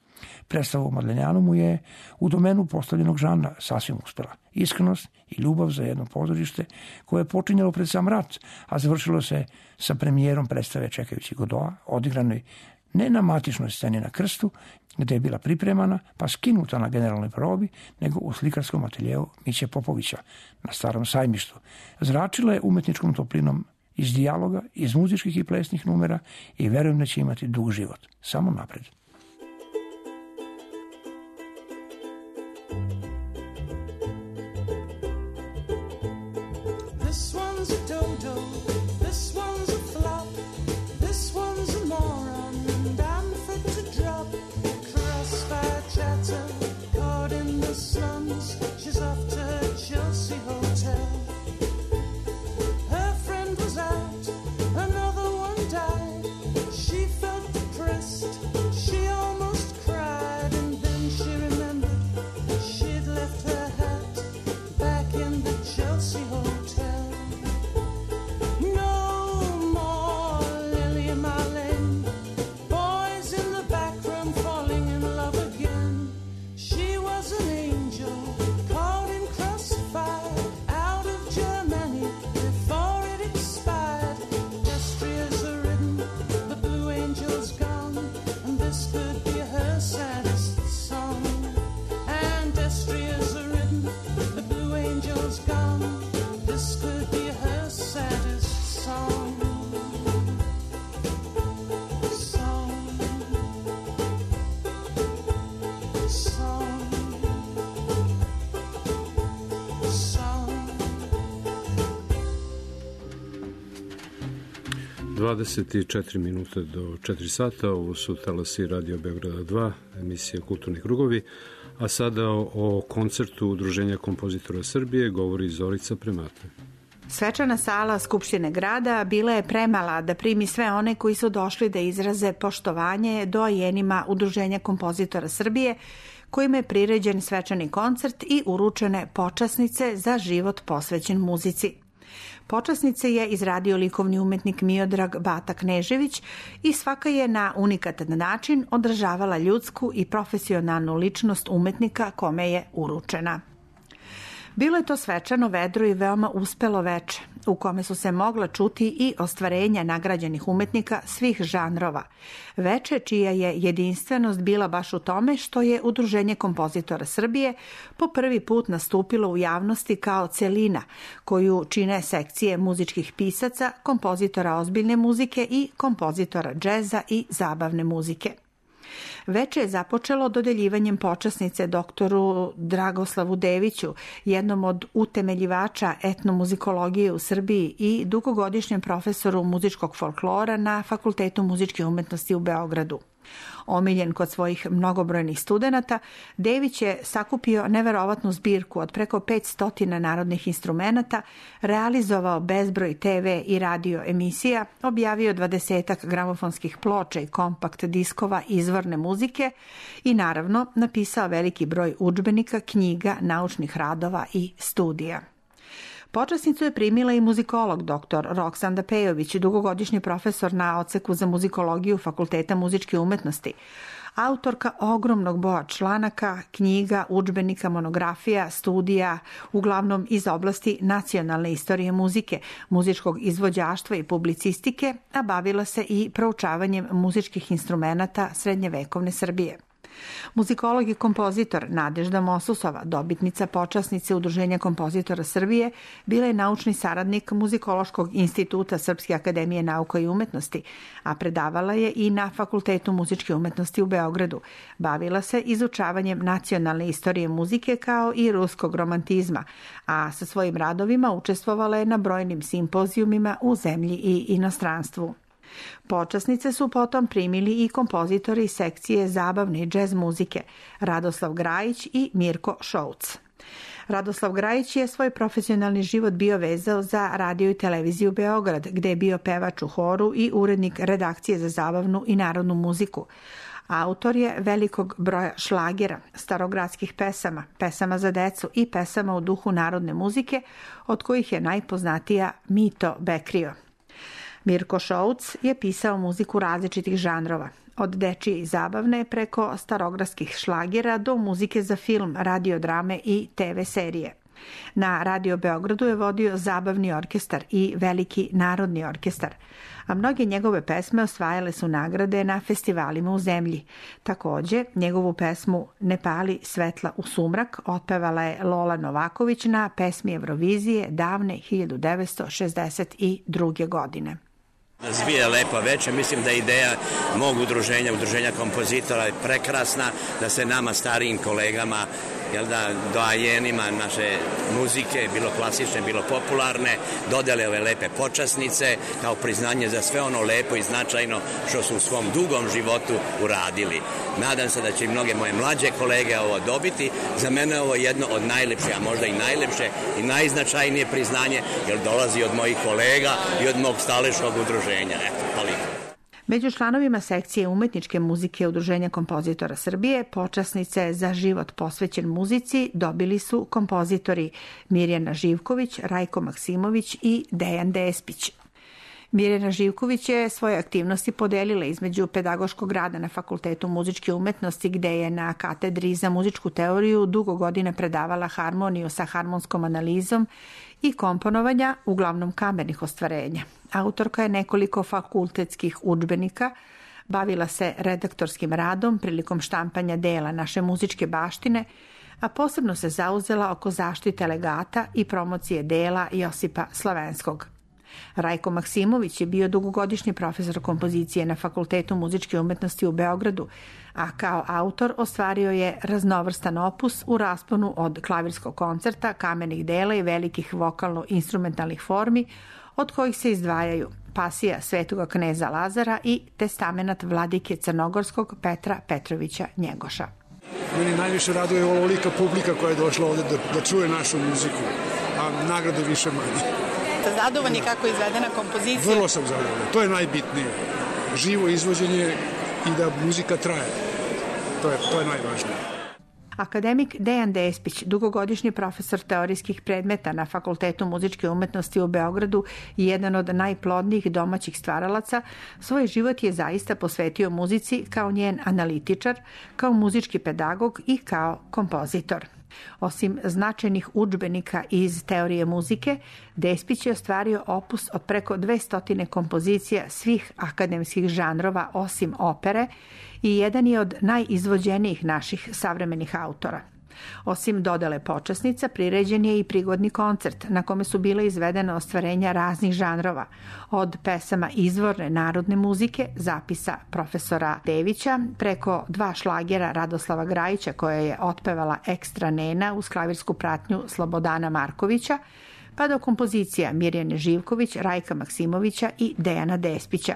Predstava u Madlenjanu mu je u domenu postavljenog žanra sasvim uspela. Iskrenost i ljubav za jedno pozorište koje je počinjalo pred sam rat, a završilo se sa premijerom predstave Čekajući Godoa, odigranoj ne na matičnoj sceni na Krstu, gde je bila pripremana pa skinuta na generalnoj probi, nego u slikarskom ateljeu Miće Popovića na Starom sajmištu. Zračila je umetničkom toplinom iz dijaloga, iz muzičkih i plesnih numera i verujem da će imati dug život. Samo napred. This one's a dodo, this one's a flop. she's off to her Chelsea hotel. Her friend was out, another one died. She felt depressed, she almost cried, and then she remembered she'd left her hat back in the Chelsea hotel. No more Lily Marlene, boys in the back room falling in love again. She was an angel caught in crossfire out of Germany before it expired. Destriers are ridden, the Blue Angel's gone, and this could be her saddest song. And Destriers are ridden, the Blue Angel's gone, this could be her saddest song. Song. Song. Song. dvadeset četiri minuta do četiri sata, ovo su talasi Radio Beograda dva, emisija Kulturni krugovi, a sada o, o koncertu Udruženja kompozitora Srbije govori Zorica Premata. Svečana sala Skupštine grada bila je premala da primi sve one koji su došli da izraze poštovanje doajenima Udruženja kompozitora Srbije, kojima je priređen svečani koncert i uručene počasnice za život posvećen muzici. Počasnice je izradio likovni umetnik Miodrag Bata Knežević i svaka je na unikatan način odražavala ljudsku i profesionalnu ličnost umetnika kome je uručena. Bilo je to svečano, vedro i veoma uspelo veče, u kome su se mogla čuti i ostvarenja nagrađenih umetnika svih žanrova. Veče čija je jedinstvenost bila baš u tome što je Udruženje kompozitora Srbije po prvi put nastupilo u javnosti kao celina, koju čine sekcije muzičkih pisaca, kompozitora ozbiljne muzike i kompozitora džeza i zabavne muzike. Veče je započelo dodeljivanjem počasnice doktoru Dragoslavu Deviću, jednom od utemeljivača etnomuzikologije u Srbiji i dugogodišnjem profesoru muzičkog folklora na Fakultetu muzičke umetnosti u Beogradu. Omiljen kod svojih mnogobrojnih studenata, Dević je sakupio neverovatnu zbirku od preko petsto narodnih instrumenata, realizovao bezbroj te ve i radio emisija, objavio dvadesetak gramofonskih ploča i kompakt diskova izvorne muzike i naravno napisao veliki broj udžbenika, knjiga, naučnih radova i studija. Počasnicu je primila i muzikolog doktor Roksanda Pejović, dugogodišnji profesor na odseku za muzikologiju Fakulteta muzičke umetnosti, autorka ogromnog broja članaka, knjiga, udžbenika, monografija, studija, uglavnom iz oblasti nacionalne istorije muzike, muzičkog izvođaštva i publicistike, a bavila se i proučavanjem muzičkih instrumenata srednjevekovne Srbije. Muzikolog i kompozitor Nadežda Mosusova, dobitnica počasnice Udruženja kompozitora Srbije, bila je naučni saradnik Muzikološkog instituta Srpske akademije nauka i umetnosti, a predavala je i na Fakultetu muzičke umetnosti u Beogradu. Bavila se izučavanjem nacionalne istorije muzike kao i ruskog romantizma, a sa svojim radovima učestvovala je na brojnim simpozijumima u zemlji i inostranstvu. Počasnice su potom primili i kompozitori sekcije zabavne i džez muzike Radoslav Grajić i Mirko Šouc. Radoslav Grajić je svoj profesionalni život bio vezao za radio i televiziju Beograd, gde je bio pevač u horu i urednik redakcije za zabavnu i narodnu muziku. Autor je velikog broja šlagera, starogradskih pesama, pesama za decu i pesama u duhu narodne muzike, od kojih je najpoznatija Mito Bekrio. Mirko Šouc je pisao muziku različitih žanrova, od dečije i zabavne preko starogradskih šlagera do muzike za film, radiodrame i te ve serije. Na Radio Beogradu je vodio zabavni orkestar i veliki narodni orkestar, a mnoge njegove pesme osvajale su nagrade na festivalima u zemlji. Takođe, njegovu pesmu Ne pali svetla u sumrak otpevala je Lola Novaković na pesmi Eurovizije davne hiljadu devetsto šezdeset druge. godine. Zbija lepa večer, mislim da je ideja mog udruženja, udruženja kompozitora je prekrasna, da se nama starijim kolegama jel da, doajenima naše muzike, bilo klasične, bilo popularne, dodele ove lepe počasnice kao priznanje za sve ono lepo i značajno što su u svom dugom životu uradili. Nadam se da će i mnoge moje mlađe kolege ovo dobiti. Za mene je ovo jedno od najlepše, a možda i najlepše i najznačajnije priznanje, jer dolazi od mojih kolega i od mog staleškog udruženja. Eto, toliko. Među članovima sekcije umetničke muzike Udruženja kompozitora Srbije počasnice za život posvećen muzici dobili su kompozitori Mirjana Živković, Rajko Maksimović i Dejan Despić. Mirjana Živković je svoje aktivnosti podelila između pedagoškog rada na Fakultetu muzičke umetnosti, gde je na katedri za muzičku teoriju dugo godina predavala harmoniju sa harmonskom analizom i komponovanja, uglavnom kamernih ostvarenja. Autorka je nekoliko fakultetskih udžbenika, bavila se redaktorskim radom prilikom štampanja dela naše muzičke baštine, a posebno se zauzela oko zaštite legata i promocije dela Josipa Slavenskog. Rajko Maksimović je bio dugogodišnji profesor kompozicije na Fakultetu muzičke umetnosti u Beogradu, a kao autor ostvario je raznovrstan opus u rasponu od klavirskog koncerta, kamenih dela i velikih vokalno-instrumentalnih formi, od kojih se izdvajaju Pasija Svetoga kneza Lazara i Testamenat vladike Crnogorskog Petra Petrovića Njegoša. Meni najviše raduje ovolika publika koja je došla ovde da, da čuje našu muziku, a nagrade više manje. Ste zadovoljni kako je izvedena kompozicija? Vrlo sam zadovoljan. To je najbitnije. Živo izvođenje i da muzika traje. To je, to je najvažnije. Akademik Dejan Despić, dugogodišnji profesor teorijskih predmeta na Fakultetu muzičke umetnosti u Beogradu i jedan od najplodnijih domaćih stvaralaca, svoj život je zaista posvetio muzici kao njen analitičar, kao muzički pedagog i kao kompozitor. Osim značajnih udžbenika iz teorije muzike, Despić je ostvario opus od preko dvestotine kompozicija svih akademskih žanrova osim opere i jedan je od najizvođenijih naših savremenih autora. Osim dodele počasnica, priređen je i prigodni koncert na kome su bile izvedene ostvarenja raznih žanrova, od pesama izvorne narodne muzike, zapisa profesora Devića, preko dva šlagera Radoslava Grajića koja je otpevala Ekstra Nena uz klavirsku pratnju Slobodana Markovića, pa do kompozicija Mirjane Živković, Rajka Maksimovića i Dejana Despića.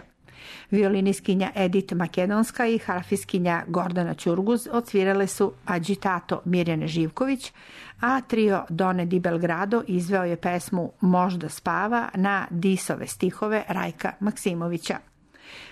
Violiniskinja Edith Makedonska i harfiskinja Gordana Ćurguz odsvirale su Agitato Mirjane Živković, a trio Done di Belgrado izveo je pesmu Možda spava na Disove stihove Rajka Maksimovića.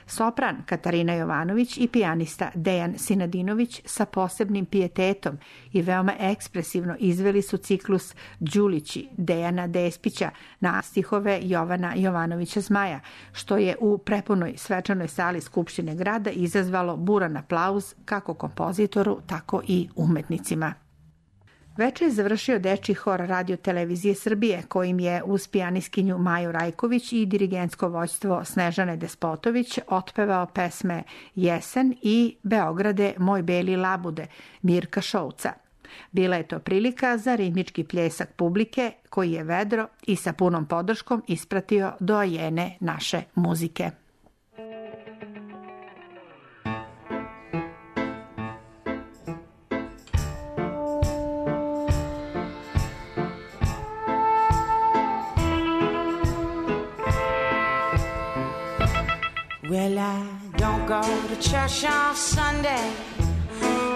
Sopran Katarina Jovanović i pijanista Dejan Sinadinović sa posebnim pijetetom i veoma ekspresivno izveli su ciklus Đulići Dejana Despića na stihove Jovana Jovanovića Zmaja, što je u prepunoj svečanoj sali Skupštine grada izazvalo buran aplauz kako kompozitoru, tako i umetnicima. Veče je završio dečji hor Radio televizije Srbije, kojim je uz pijaniskinju Maju Rajković i dirigentsko vođstvo Snežane Despotović otpevao pesme Jesen i Beograde moj beli labude Mirka Šouca. Bila je to prilika za ritmički pljesak publike koji je vedro i sa punom podrškom ispratio doajene naše muzike. Well, I don't go to church on Sunday,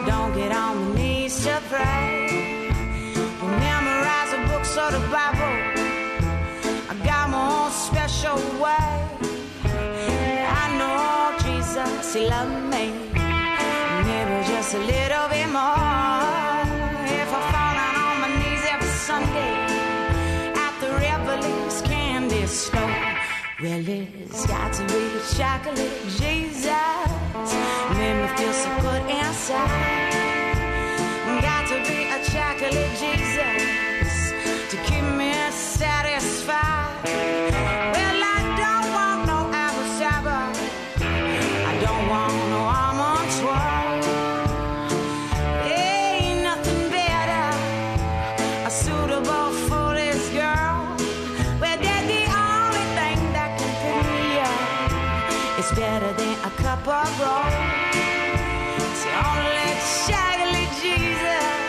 don't get on my knees to pray, don't memorize the books or the Bible, I got my own special way. I know Jesus, He loved me, maybe just a little bit more. If I fall down on my knees every Sunday at the Revelings candy store, well, it's got to be chocolate Jesus, made me feel so good inside. Got to be a chocolate Jesus to keep me satisfied. Well, I don't want no apple cider, I don't want no almond twirl. Ain't nothing better, a suitable for this girl. Well, they're the only thing that can pick me up. It's better than a cup of roll. It's only chocolate Jesus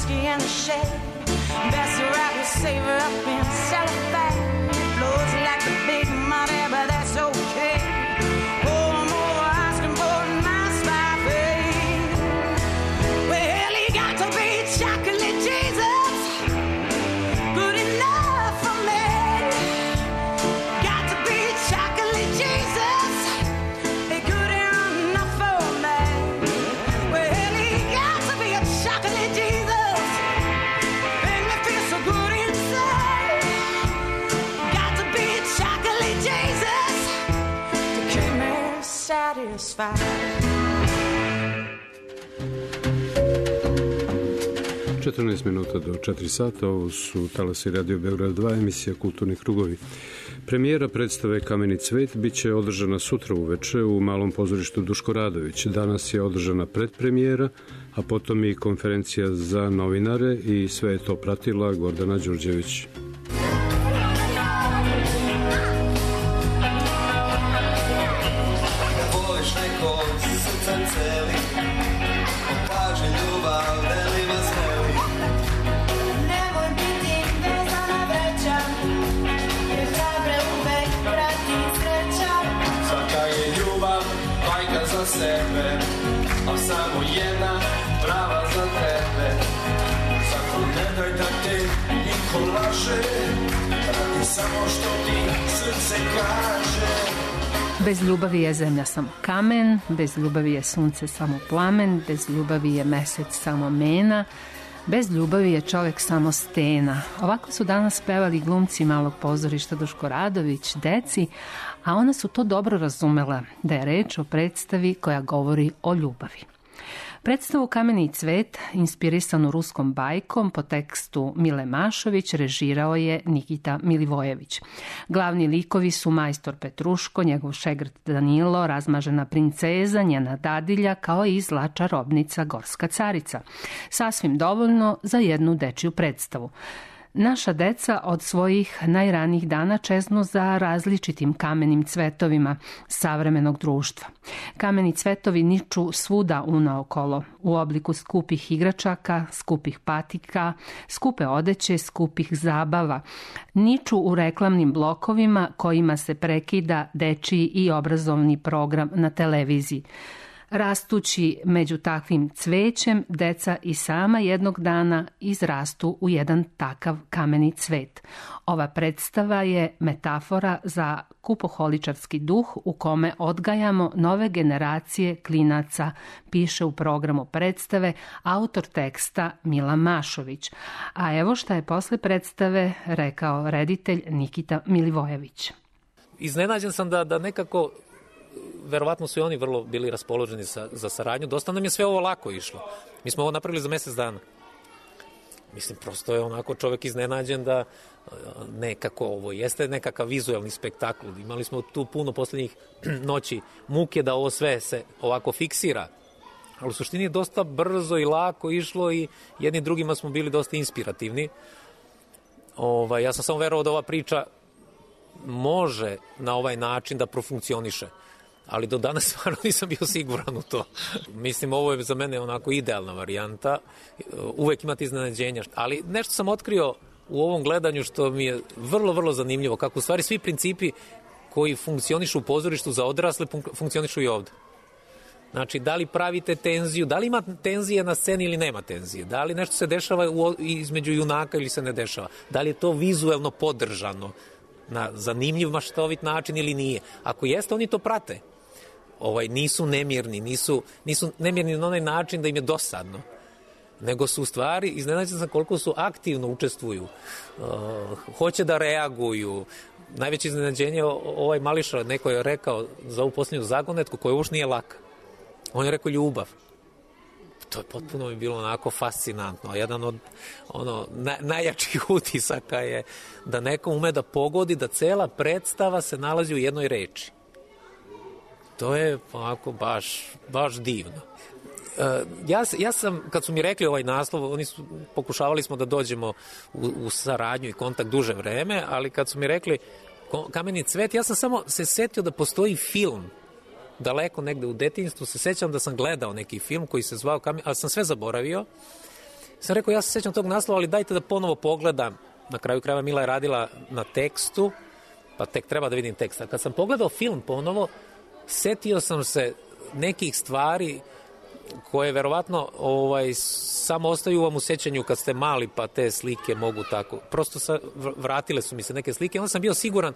whiskey in the shade. Best to wrap your savor up in cellophane. It flows like the big money, but that's okay. Oh, I'm over asking for a nice life. Well, he got to be chocolate Jesus, good enough for me. Got to be chocolate Jesus, good enough for me. Well, he got to be a chocolate Jesus, make me feel so good inside. Got to be chocolate Jesus to keep me satisfied. četrnaest minuta do četiri sata, ovo su Talasi Radio Beograd dva, emisija Kulturni krugovi. Premijera predstave Kameni cvet bit će održana sutra uveče u Malom pozorištu Duško Radović. Danas je održana predpremijera, a potom i konferencija za novinare i sve je to pratila Gordana Đurđević. Voliš nekog srca celi, pokaže ljubav, deli vas veli. Nemoj biti vezana vreća, jer hrabre uvek prati sreća. Svaka je ljubav majka za sebe, a samo jedna prava za tebe. Zato ne daj da te niko laže, radi samo što ti srce kaže. Bez ljubavi je zemlja samo kamen, bez ljubavi je sunce samo plamen, bez ljubavi je mesec samo mena, bez ljubavi je čovek samo stena. Ovako su danas pevali glumci Malog pozorišta Duško Radović, deci, a ona su to dobro razumela, da je reč o predstavi koja govori o ljubavi. Predstavu Kameni cvet, inspirisanu ruskom bajkom po tekstu Mile Mašović, režirao je Nikita Milivojević. Glavni likovi su majstor Petruško, njegov šegrt Danilo, razmažena princeza, njena dadilja, kao i zla čarobnica Gorska carica. Sasvim dovoljno za jednu dečiju predstavu. Naša deca od svojih najranijih dana čeznu za različitim kamenim cvetovima savremenog društva. Kameni cvetovi niču svuda unaokolo, u obliku skupih igračaka, skupih patika, skupe odeće, skupih zabava. Niču u reklamnim blokovima kojima se prekida dečiji i obrazovni program na televiziji. Rastući među takvim cvećem, deca i sama jednog dana izrastu u jedan takav kameni cvet. Ova predstava je metafora za kupoholičarski duh u kome odgajamo nove generacije klinaca, piše u programu predstave autor teksta Mila Mašović. A evo šta je posle predstave rekao reditelj Nikita Milivojević. Iznenađen sam da, da nekako verovatno su i oni vrlo bili raspoloženi sa, za saradnju. Dosta nam je sve ovo lako išlo. Mi smo ovo napravili za mesec dana. Mislim, prosto je onako čovek iznenađen da nekako ovo jeste nekakav vizuelni spektakl. Imali smo tu puno poslednjih noći muke da ovo sve se ovako fiksira. Ali u suštini je dosta brzo i lako išlo i jedni drugima smo bili dosta inspirativni. Ovaj, ja sam samo verovao da ova priča može na ovaj način da profunkcioniše. Ali do danas stvarno nisam bio siguran u to. Mislim, ovo je za mene onako idealna varijanta. Uvek imate iznenađenja. Ali nešto sam otkrio u ovom gledanju što mi je vrlo, vrlo zanimljivo. Kako u stvari svi principi koji funkcionišu u pozorištu za odrasle funkcionišu i ovde. Znači, da li pravite tenziju, da li ima tenzije na sceni ili nema tenzije, da li nešto se dešava u, između junaka ili se ne dešava, da li je to vizuelno podržano na zanimljiv maštovit način ili nije. Ako jeste, oni to prate. Ovaj, nisu nemirni, nisu, nisu nemirni na onaj način da im je dosadno, nego su u stvari, iznenađen sam koliko su aktivno učestvuju, uh, hoće da reaguju. Najveće iznenađenje, ovaj Mališa, neko je rekao za ovu posljednju zagonetku, koja už nije laka. On je rekao ljubav. To je potpuno mi bilo onako fascinantno. Jedan od ono, na, najjačih utisaka je da neko ume da pogodi da cela predstava se nalazi u jednoj reči. To je onako baš, baš divno. Uh, ja, ja sam, kad su mi rekli ovaj naslov, oni su, pokušavali smo da dođemo u, u saradnju i kontakt duže vreme, ali kad su mi rekli Kameni cvet, ja sam samo se setio da postoji film daleko negde u detinjstvu, se sećam da sam gledao neki film koji se zvao Kamen, ali sam sve zaboravio. Sam rekao, ja se sjećam tog naslova, ali dajte da ponovo pogledam. Na kraju krajeva Mila je radila na tekstu, pa tek treba da vidim tekst. A kad sam pogledao film ponovo, setio sam se nekih stvari koje verovatno ovaj, samo ostaju vam u sećanju kad ste mali, pa te slike mogu tako. Prosto sa, vratile su mi se neke slike. Onda sam bio siguran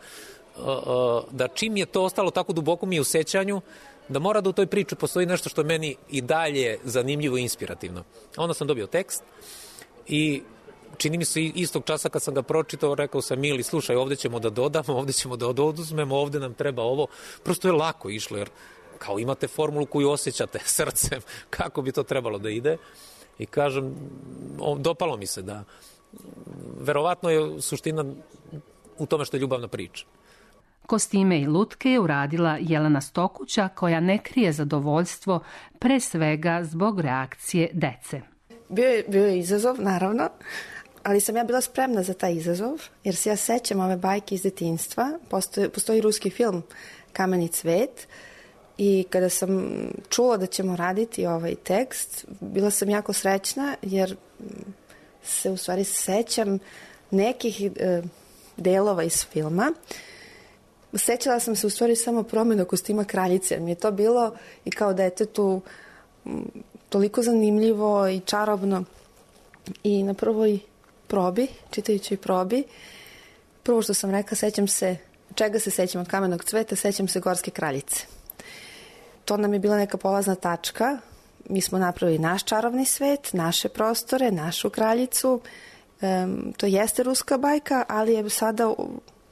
uh, uh, da čim je to ostalo tako duboko mi u sećanju, da mora da u toj priči postoji nešto što je meni i dalje zanimljivo i inspirativno. Onda sam dobio tekst i čini mi se istog časa kad sam ga pročitao, rekao sam Mili, slušaj, ovde ćemo da dodamo, ovde ćemo da oduzmemo, ovde nam treba ovo. Prosto je lako išlo, jer kao imate formulu koju osjećate srcem, kako bi to trebalo da ide. I kažem, dopalo mi se da verovatno je suština u tome što je ljubavna priča. Kostime i lutke je uradila Jelena Stokuća, koja ne krije zadovoljstvo pre svega zbog reakcije dece. Bio je, bio je izazov, naravno, ali sam ja bila spremna za taj izazov, jer se ja sećam ove bajke iz detinjstva. Postoji, postoji ruski film Kameni cvet i kada sam čula da ćemo raditi ovaj tekst, bila sam jako srećna, jer se u stvari sećam nekih e, delova iz filma. Sećala sam se u stvari samo promjena kostima kraljice. Mi je to bilo i kao detetu toliko zanimljivo i čarobno. I na prvoj probi, čitajući probi, prvo što sam rekla, sećam se, čega se sećam od Kamenog cveta, sećam se Gorske kraljice. To nam je bila neka polazna tačka. Mi smo napravili naš čarovni svet, naše prostore, našu kraljicu. Um, to jeste ruska bajka, ali je sada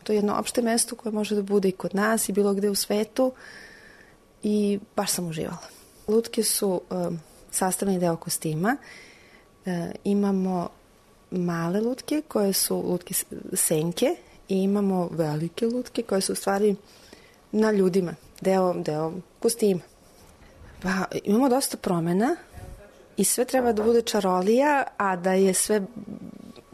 to je jedno opšte mesto koje može da bude i kod nas i bilo gde u svetu. I baš sam uživala. Lutke su um, sastavni deo kostima. Uh, imamo male lutke koje su lutke senke i imamo velike lutke koje su u stvari na ljudima, deo, deo kostima. Pa, imamo dosta promena i sve treba da bude čarolija, a da je sve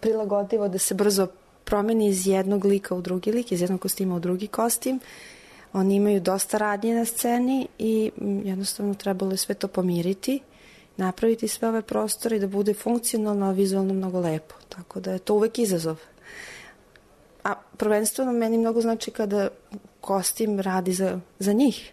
prilagodivo, da se brzo promeni iz jednog lika u drugi lik, iz jednog kostima u drugi kostim. Oni imaju dosta radnje na sceni i jednostavno trebalo je sve to pomiriti, napraviti sve ove prostore i da bude funkcionalno, a vizualno mnogo lepo. Tako da je to uvek izazov. A prvenstveno meni mnogo znači kada kostim radi za, za njih,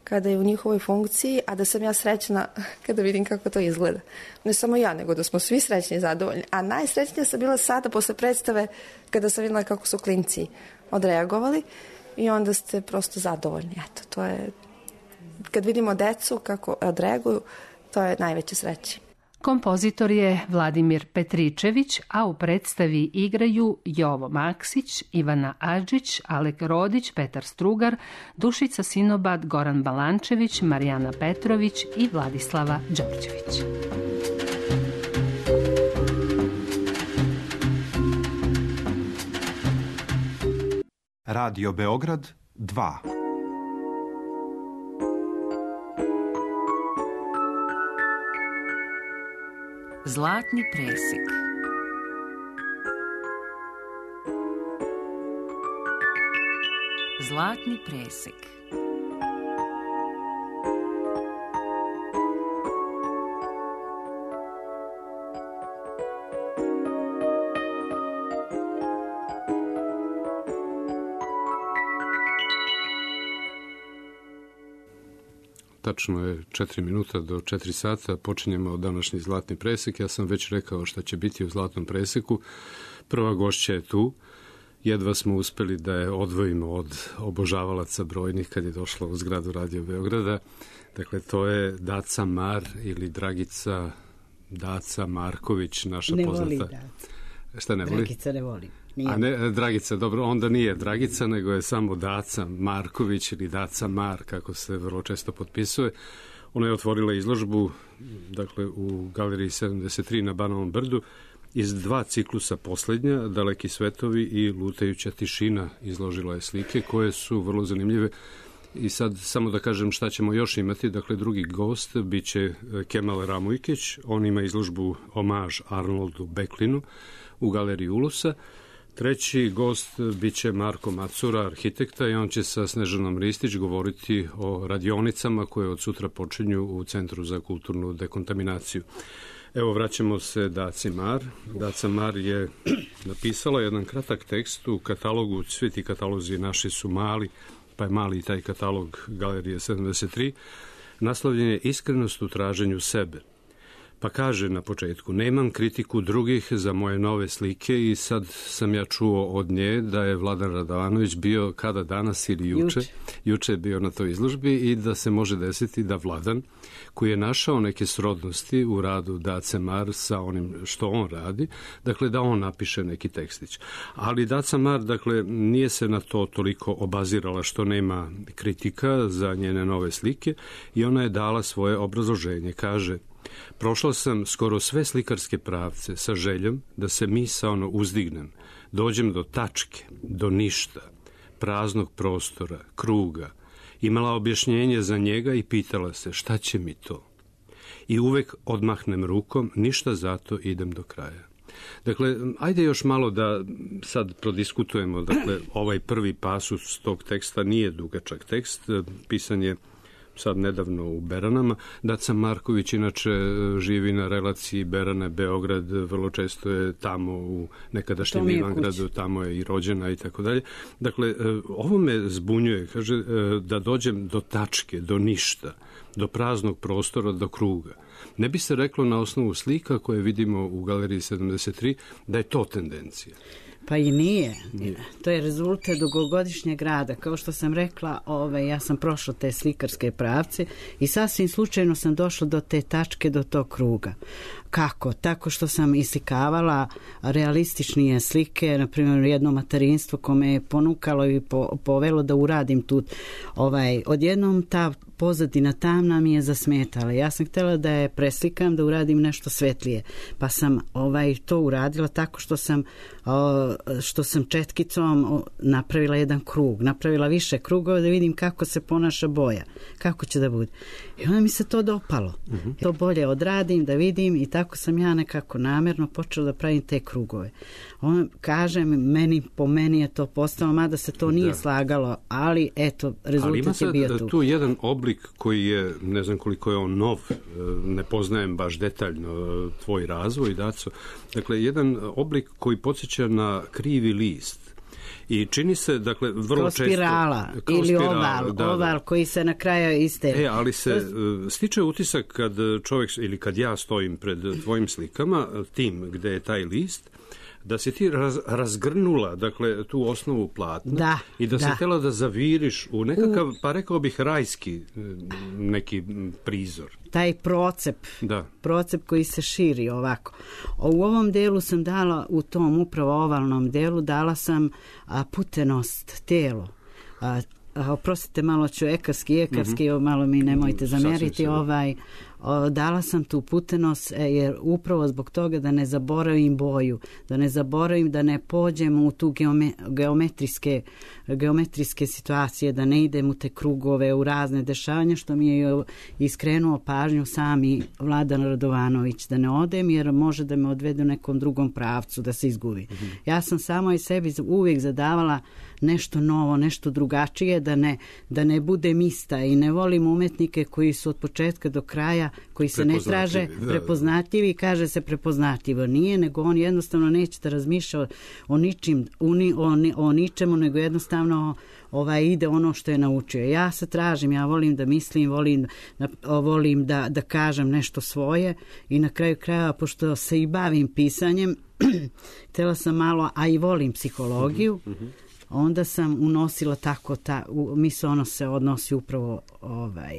kada je u njihovoj funkciji, a da sam ja srećna kada vidim kako to izgleda. Ne samo ja, nego da smo svi srećni i zadovoljni. A najsrećnija sam bila sada posle predstave kada sam videla kako su klinci odreagovali i onda ste prosto zadovoljni. Eto, to je, kad vidimo decu kako odreaguju, to je najveća sreća. Kompozitor je Vladimir Petričević, a u predstavi igraju Jovo Maksić, Ivana Adžić, Alek Rodić, Petar Strugar, Dušica Sinobad, Goran Balančević, Marijana Petrović i Vladislava Đorđević. Radio Beograd dva. Zlatni presek. Zlatni presek. Tačno je četiri minuta do četiri sata, počinjemo današnji Zlatni presek. Ja sam već rekao šta će biti u Zlatnom preseku. Prva gošća je tu. Jedva smo uspeli da je odvojimo od obožavalaca brojnih kad je došla u zgradu Radio Beograda. Dakle, to je Daca Mar ili Dragica Daca Marković, naša ne poznata. Ne voli Daca. Šta ne voli? Dragica ne voli. Nije. A ne, Dragica, dobro, onda nije Dragica, nego je samo Daca Marković ili Daca Mar, kako se vrlo često potpisuje. Ona je otvorila izložbu, dakle, u Galeriji sedamdeset tri na Banovom brdu, iz dva ciklusa poslednja, Daleki svetovi i Lutajuća tišina, izložila je slike koje su vrlo zanimljive. I sad samo da kažem šta ćemo još imati. Dakle, drugi gost biće Kemal Ramujkić, on ima izložbu Omaž Arnoldu Beklinu u Galeriji Ulusa. Treći gost biće Marko Macura, arhitekta, i on će sa Snežanom Ristić govoriti o radionicama koje od sutra počinju u Centru za kulturnu dekontaminaciju. Evo, vraćamo se Daci Mar. Daca Mar je napisala jedan kratak tekst u katalogu, svi ti katalozi naši su mali, pa je mali i taj katalog Galerije sedamdeset tri, naslovljen je Iskrenost u traženju sebe. Pa kaže na početku, nemam kritiku drugih za moje nove slike i sad sam ja čuo od nje da je Vladan Radovanović bio kada danas ili juče, juče, juče je bio na toj izložbi i da se može desiti da Vladan, koji je našao neke srodnosti u radu Dace Mar sa onim što on radi, dakle da on napiše neki tekstić. Ali Daca Mar, dakle, nije se na to toliko obazirala što nema kritika za njene nove slike i ona je dala svoje obrazloženje. Kaže, prošla sam skoro sve slikarske pravce sa željom da se misaono uzdignem, dođem do tačke, do ništa, praznog prostora, kruga, imala objašnjenje za njega i pitala se šta će mi to. I uvek odmahnem rukom, ništa zato, idem do kraja. Dakle, ajde još malo da sad prodiskutujemo, dakle, ovaj prvi pasus tog teksta nije dugačak tekst, pisan je sad nedavno u Beranama. Daca Marković inače živi na relaciji Berane-Beograd, vrlo često je tamo u nekadašnjem Ivangradu, tamo je i rođena i tako dalje. Dakle, ovo me zbunjuje, kaže, da dođem do tačke, do ništa, do praznog prostora, do kruga. Ne bi se reklo na osnovu slika koje vidimo u Galeriji sedamdeset tri da je to tendencija. Pa i nije. nije. To je rezultat dugogodišnjeg rada. Kao što sam rekla, ove, ja sam prošla te slikarske pravce i sasvim slučajno sam došla do te tačke, do tog kruga. Kako? Tako što sam islikavala realističnije slike, na primjer jedno materinstvo kome je ponukalo i po, povelo da uradim tu. Ovaj, odjednom ta pozadina tamna mi je zasmetala. Ja sam htjela da je preslikam, da uradim nešto svetlije. Pa sam ovaj, to uradila tako što sam, o, što sam četkicom o, napravila jedan krug. Napravila više krugova da vidim kako se ponaša boja. Kako će da bude. I onda mi se to dopalo. Uh-huh. To bolje odradim, da vidim i tako sam ja nekako namjerno počela da pravim te krugove. On, kažem, meni, po meni je to postalo, mada se to nije da. slagalo, ali eto, rezultat je bio tu. Ali ima tu jedan oblik koji je, ne znam koliko je on nov, ne poznajem baš detaljno tvoj razvoj, Daco. Dakle, jedan oblik koji podsjeća na krivi list. I čini se, dakle, vrlo kao često... Spirala, kao ili spirala, oval, da, oval da. koji se na kraju iste... E, ali se to... stiče utisak kad čovjek, ili kad ja stojim pred tvojim slikama, tim gde je taj list, da si ti raz, razgrnula, dakle, tu osnovu platna da, i da, da. si htjela da zaviriš u nekakav, u... pa rekao bih, rajski neki prizor. Taj procep, da. procep koji se širi ovako. U ovom delu sam dala, u tom upravo ovalnom delu, dala sam a, putenost, telo. A, a, oprostite, malo ću ekarski, ekarski, mm-hmm. malo mi nemojte zamjeriti, ovaj... dala sam tu putenost jer upravo zbog toga da ne zaboravim boju, da ne zaboravim, da ne pođem u tu geome, geometrijske, geometrijske situacije, da ne idem u te krugove, u razne dešavanja, što mi je iskrenuo pažnju sami Vladan Radovanović, da ne odem jer može da me odvede u nekom drugom pravcu, da se izgubi. Mm-hmm. Ja sam samo i sebi uvijek zadavala nešto novo, nešto drugačije, da ne, da ne budem ista i ne volim umetnike koji su od početka do kraja, koji se ne traže da, prepoznatljivi, kaže se prepoznatljivo. Nije, nego on jednostavno neće da razmišlja o, o ničim, o, o, o ničemu, nego jednostavno ovaj, ide ono što je naučio. Ja se tražim, ja volim da mislim, volim, da, volim da, da kažem nešto svoje i na kraju krajeva, pošto se i bavim pisanjem, htjela sam malo, a i volim psihologiju, mm-hmm. onda sam unosila tako, ta, misle ono se odnosi upravo ovaj...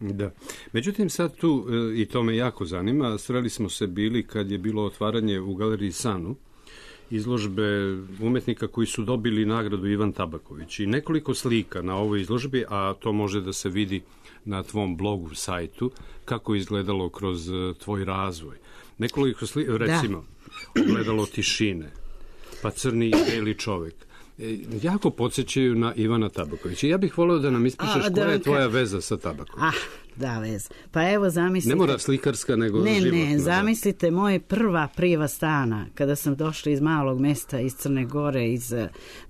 Da. Međutim, sad tu, i to me jako zanima, sreli smo se bili kad je bilo otvaranje u Galeriji Sanu, izložbe umetnika koji su dobili nagradu Ivan Tabaković i nekoliko slika na ovoj izložbi, a to može da se vidi na tvom blogu, sajtu, kako je izgledalo kroz tvoj razvoj. Nekoliko slika, recimo, da. Ogledalo tišine, pa Crni i beli čovek. Jako podsjećaju na Ivana Tabakovića. Ja bih volio da nam ispričaš a, koja da, je tvoja ka... veza sa Tabakovićem. Ah, da, veza. Pa evo, zamislite... Ne mora slikarska, nego ne, životna. Ne, ne, zamislite moje prva priva stana, kada sam došla iz malog mesta, iz Crne Gore, iz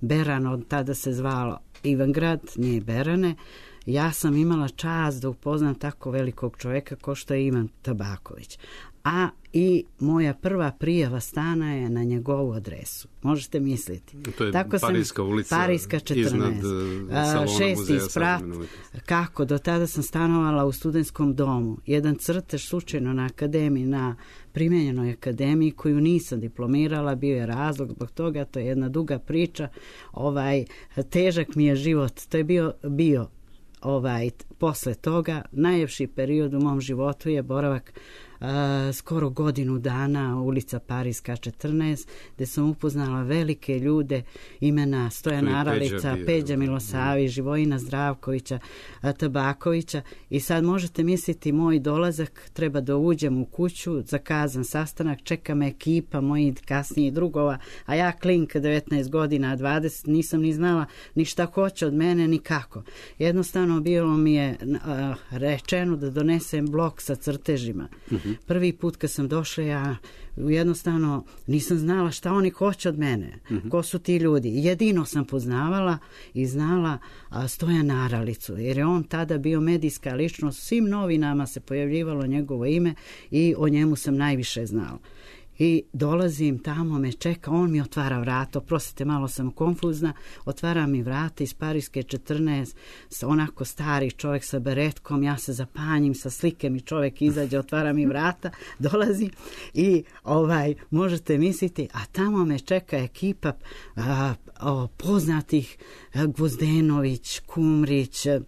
Berana, od tada se zvalo Ivangrad, nije Berane. Ja sam imala čast da upoznam tako velikog čovjeka kao što je Ivan Tabaković. a i moja prva prijava stana je na njegovu adresu. Možete misliti. To je Tako Parijska sam, ulica Parijska četrnaest. Iznad uh, salona šesti muzeja sprat. Kako? Do tada sam stanovala u studentskom domu. Jedan crtež slučajno na akademiji, na primenjenoj akademiji koju nisam diplomirala, bio je razlog zbog toga, to je jedna duga priča. Ovaj, težak mi je život. To je bio, bio ovaj, posle toga, najljepši period u mom životu je boravak Uh, skoro godinu dana ulica Parijska četrnaest, gde sam upoznala velike ljude, imena Stojana Aralica, Peđa Milosavi, Živojina Zdravkovića, Tabakovića, i sad možete misliti moj dolazak, treba da uđem u kuću, zakazan sastanak, čeka me ekipa mojih kasnijih drugova, a ja klinka devetnaest godina, dvadeset, nisam ni znala ni šta hoće od mene, ni kako. Jednostavno bilo mi je uh, rečeno da donesem blok sa crtežima. Mm-hmm. Prvi put kad sam došla, ja jednostavno nisam znala šta oni hoće od mene, mm-hmm. ko su ti ljudi. Jedino sam poznavala i znala a, Stojana Aralicu, jer je on tada bio medijska ličnost, u svim novinama se pojavljivalo njegovo ime i o njemu sam najviše znala. I dolazim tamo, me čeka, on mi otvara vrata, oprostite, malo sam konfuzna, otvara mi vrata iz Parijske četrnaest, onako stari čovjek sa beretkom, ja se zapanjim, sa slike mi čovjek izađe, otvara mi vrata, dolazim i ovaj, možete misliti, a tamo me čeka ekipa a, a, poznatih a, Gvozdenović, Kumrić, a,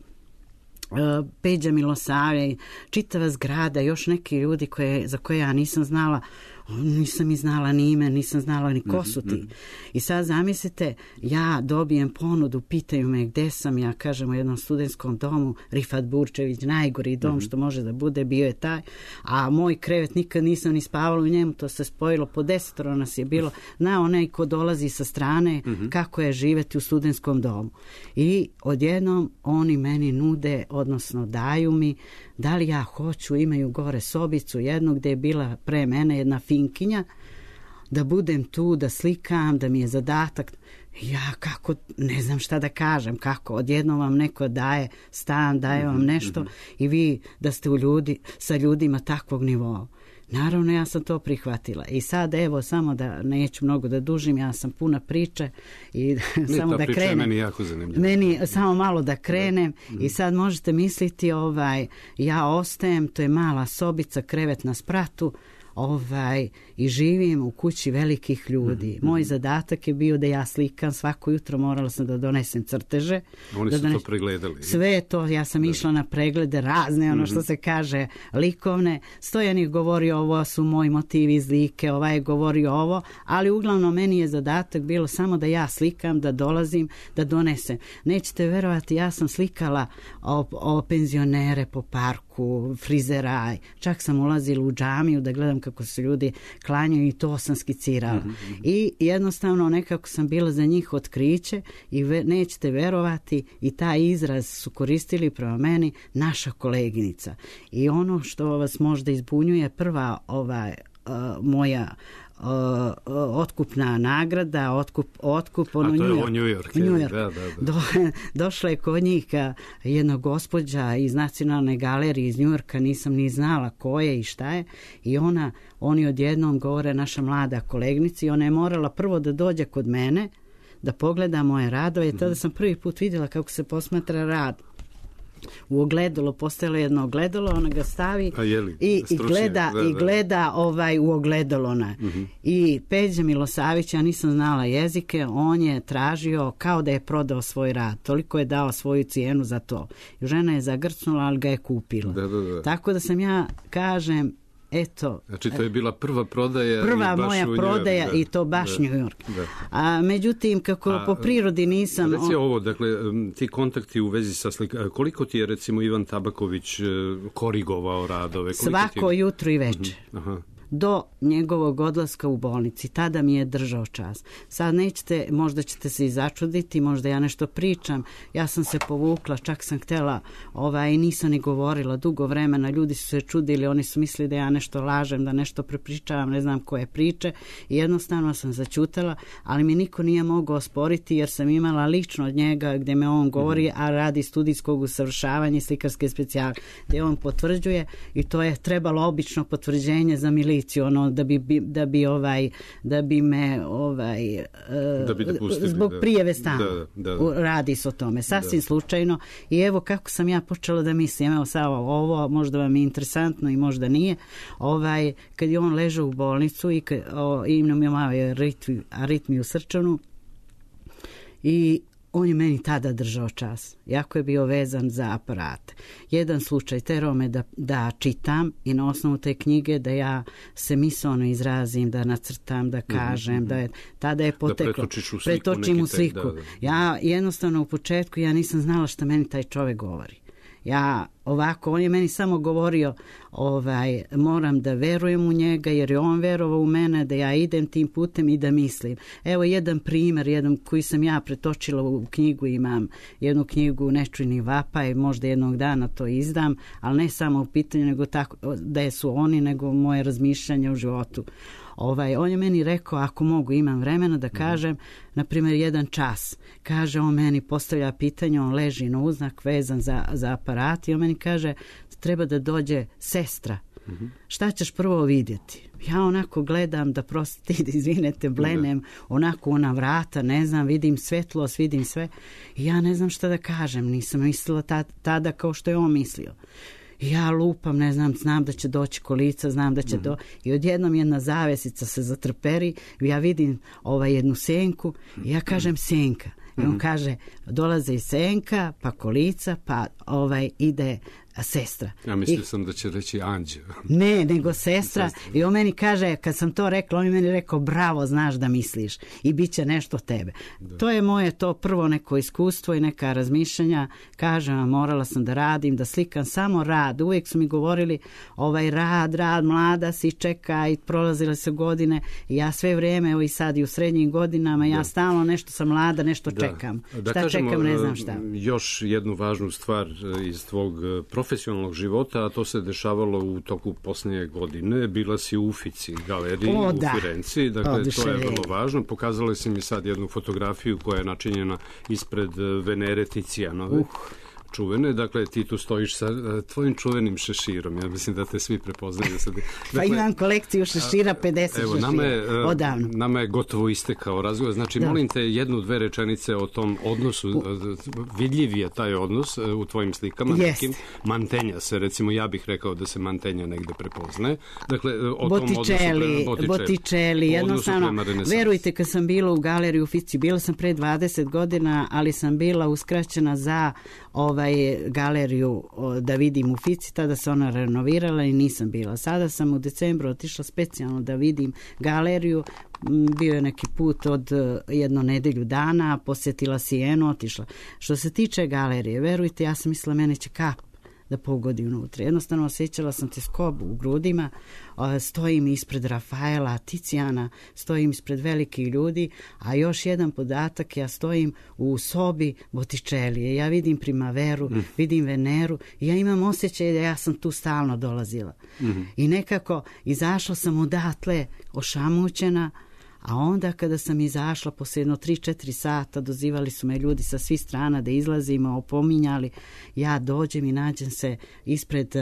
Peđa Milosavljević, čitava zgrada, još neki ljudi koje, za koje ja nisam znala, nisam i znala ni ime, nisam znala ni ko su ti. I sad zamislite, ja dobijem ponudu, pitaju me gde sam, ja kažem u jednom studentskom domu, Rifat Burčević, najgori dom što može da bude, bio je taj, a moj krevet nikad nisam ni spavala u njemu, to se spojilo, po desetoro nas je bilo, zna onaj ko dolazi sa strane, kako je živeti u studentskom domu. I odjednom oni meni nude, odnosno daju mi, da li ja hoću, imaju gore sobicu jednu gde je bila pre mene jedna finkinja, da budem tu, da slikam, da mi je zadatak. Ja kako, ne znam šta da kažem, kako, odjednom vam neko daje stan, daje vam nešto i vi da ste u ljudi, sa ljudima takvog nivoa. Naravno, ja sam to prihvatila. I sad, evo, samo da neću mnogo da dužim, ja sam puna priče i ne, Meni jako zanimljiva. Meni samo malo da krenem da. I sad možete misliti, ovaj, ja ostajem, to je mala sobica, krevet na spratu, ovaj, i živim u kući velikih ljudi. Mm-hmm. Moj zadatak je bio da ja slikam, svako jutro morala sam da donesem crteže. Oni da su dones... to pregledali. Sve to, ja sam da. išla na preglede razne, ono mm-hmm. što se kaže, likovne. Stojan je govorio ovo su moji motivi iz like, ovaj je govorio ovo, ali uglavnom meni je zadatak bilo samo da ja slikam, da dolazim, da donesem. Nećete verovati, ja sam slikala o, o penzionere po parku, frizeraj, čak sam ulazila u džamiju da gledam kako se ljudi klanjaju i to sam skicirala. Mm-hmm. I jednostavno nekako sam bila za njih otkriće i ve, nećete verovati, i taj izraz su koristili prema meni naša koleginica. I ono što vas možda izbunjuje, prva ovaj, uh, moja Uh, otkupna nagrada, otkup, otkup ono, a to je New York. o New York. New York. Da, da, da. Do, došla je kod njih jedna gospođa iz Nacionalne galerije iz New Yorka, nisam ni znala ko je i šta je, i ona, oni odjednom govore naša mlada kolegnica, i ona je morala prvo da dođe kod mene da pogleda moje radove, i tada sam prvi put vidjela kako se posmatra rad. U ogledalo, postojalo jedno ogledalo, ona ga stavi jeli, i, i gleda, da, da. i gleda ovaj, u ogledalo. Mm-hmm. I Peđa Milosavić, ja nisam znala jezike, on je tražio kao da je prodao svoj rad. Toliko je dao svoju cijenu za to. I žena je zagrcnula, ali ga je kupila. Da, da, da. Tako da sam ja, kažem, eto... Znači, to je bila prva prodaja prva i baš moja u prodaja New York, i to baš da, New York. Da. A međutim, kako A, po prirodi nisam... Reci ovo, dakle, ti kontakti u vezi sa slika, koliko ti je, recimo, Ivan Tabaković korigovao radove? Svako je... jutro i večer. Uh-huh. Aha. do njegovog odlaska u bolnici. Tada mi je držao čas. Sad nećete, možda ćete se i začuditi, možda ja nešto pričam. Ja sam se povukla, čak sam htjela, ovaj, nisam ni govorila dugo vremena. Ljudi su se čudili, oni su mislili da ja nešto lažem, da nešto prepričavam, ne znam koje priče. I jednostavno sam začutala, ali mi niko nije mogao osporiti jer sam imala lično od njega gdje me on govori, a radi studijskog usavršavanja i slikarske specijale, gdje on potvrđuje i to je trebalo obično potvrđenje za miliciju, ono da bi da bi ovaj da bi me ovaj da bi dopustili, zbog da. prijave stana. Da, da, da. Radi se o tome sasvim Da. slučajno i evo kako sam ja počela da mislim, evo sad ovo možda vam je interesantno i možda nije. Ovaj kad je on ležao u bolnicu i kad, o, imam je malo aritmi, aritmiju srčanu i on je meni tada držao čas. Jako je bio vezan za aparate. Jedan slučaj terao me da, da čitam i na osnovu te knjige da ja se misalno izrazim, da nacrtam, da kažem, mm-hmm. da je, tada je poteklo. Da pretočiš u sliku. Pretočim u tek, sliku. da, da. Ja jednostavno u početku ja nisam znala šta meni taj čovjek govori. Ja ovako, on je meni samo govorio ovaj, moram da verujem u njega jer je on verovao u mene, da ja idem tim putem i da mislim. Evo jedan primjer, jedan koji sam ja pretočila u knjigu, imam jednu knjigu Nečujni vapaj, možda jednog dana to izdam, ali ne samo u pitanju nego tako, da su oni, nego moje razmišljanje u životu. Ovaj, on je meni rekao, ako mogu, imam vremena da kažem, na primjer, jedan čas. Kaže, on meni postavlja pitanje, on leži na uznak vezan za, za aparat i on meni kaže, treba da dođe sestra. Mm-hmm. Šta ćeš prvo vidjeti? Ja onako gledam da prostite, da izvinete, blenem, onako ona vrata, ne znam, vidim svetlost, vidim sve. I ja ne znam šta da kažem, nisam mislila ta, tada kao što je on mislio. Ja lupam, ne znam, znam da će doći kolica, znam da će mm-hmm. do... I odjednom jedna zavesica se zatrperi, ja vidim ovaj jednu senku i ja kažem senka. I on mm-hmm. kaže, dolaze i senka, pa kolica, pa ovaj ide sestra. Ja mislio I, sam da će reći anđeo. Ne, nego sestra. I on meni kaže, kad sam to rekla, on je meni rekao, bravo, znaš da misliš i bit će nešto tebe. Da. To je moje to prvo neko iskustvo i neka razmišljanja. Kažem, morala sam da radim, da slikam samo rad. Uvijek su mi govorili, ovaj rad, rad, mlada si, čeka i prolazile se godine. I ja sve vrijeme, evo i sad i u srednjim godinama, ja da. stalno nešto sam mlada, nešto da. čekam. Da šta kažemo, čekam, ne znam šta. Još jednu važnu stvar iz tvog profesionalnog života, a to se dešavalo u toku posljednje godine. Bila si u Uffizi galeriji o, u da. Firenci, dakle Odlično to je je. vrlo važno. Pokazali si mi sad jednu fotografiju koja je načinjena ispred Venere Ticijanove. Uh. čuvene, dakle ti tu stojiš sa uh, tvojim čuvenim šeširom, ja mislim da te svi prepoznaju. Sad. Dakle, pa imam kolekciju šešira, pedeset evo, šešira, nama je, odavno. Nama je gotovo istekao razgovor, znači da. Molim te jednu, dve rečenice o tom odnosu, u... vidljiv je taj odnos uh, u tvojim slikama, nekim, mantenja se, recimo ja bih rekao da se mantenja negde prepoznaje, dakle o Botičeli, tom odnosu prema Botičeli, jednostavno, verujte kad sam bila u galeriji u Uffizi, bila sam pre dvadeset godina, ali sam bila uskraćena za ovaj galeriju da vidim u Uffizi, tada se ona renovirala i nisam bila. Sada sam u decembru otišla specijalno da vidim galeriju, bio je neki put od jedno nedelju dana, posjetila Sijenu, otišla. Što se tiče galerije, verujte, ja sam mislila mene će kap da pogodi unutra. Jednostavno osjećala sam teskobu u grudima, stojim ispred Rafaela, Ticijana, stojim ispred velikih ljudi, a još jedan podatak, ja stojim u sobi Botticelije, ja vidim Primaveru, mm. vidim Veneru i ja imam osjećaj da ja sam tu stalno dolazila. Mm. I nekako izašla sam odatle ošamućena, a onda kada sam izašla posle jedno tri četiri sata, dozivali su me ljudi sa svih strana da izlazimo, opominjali, ja dođem i nađem se ispred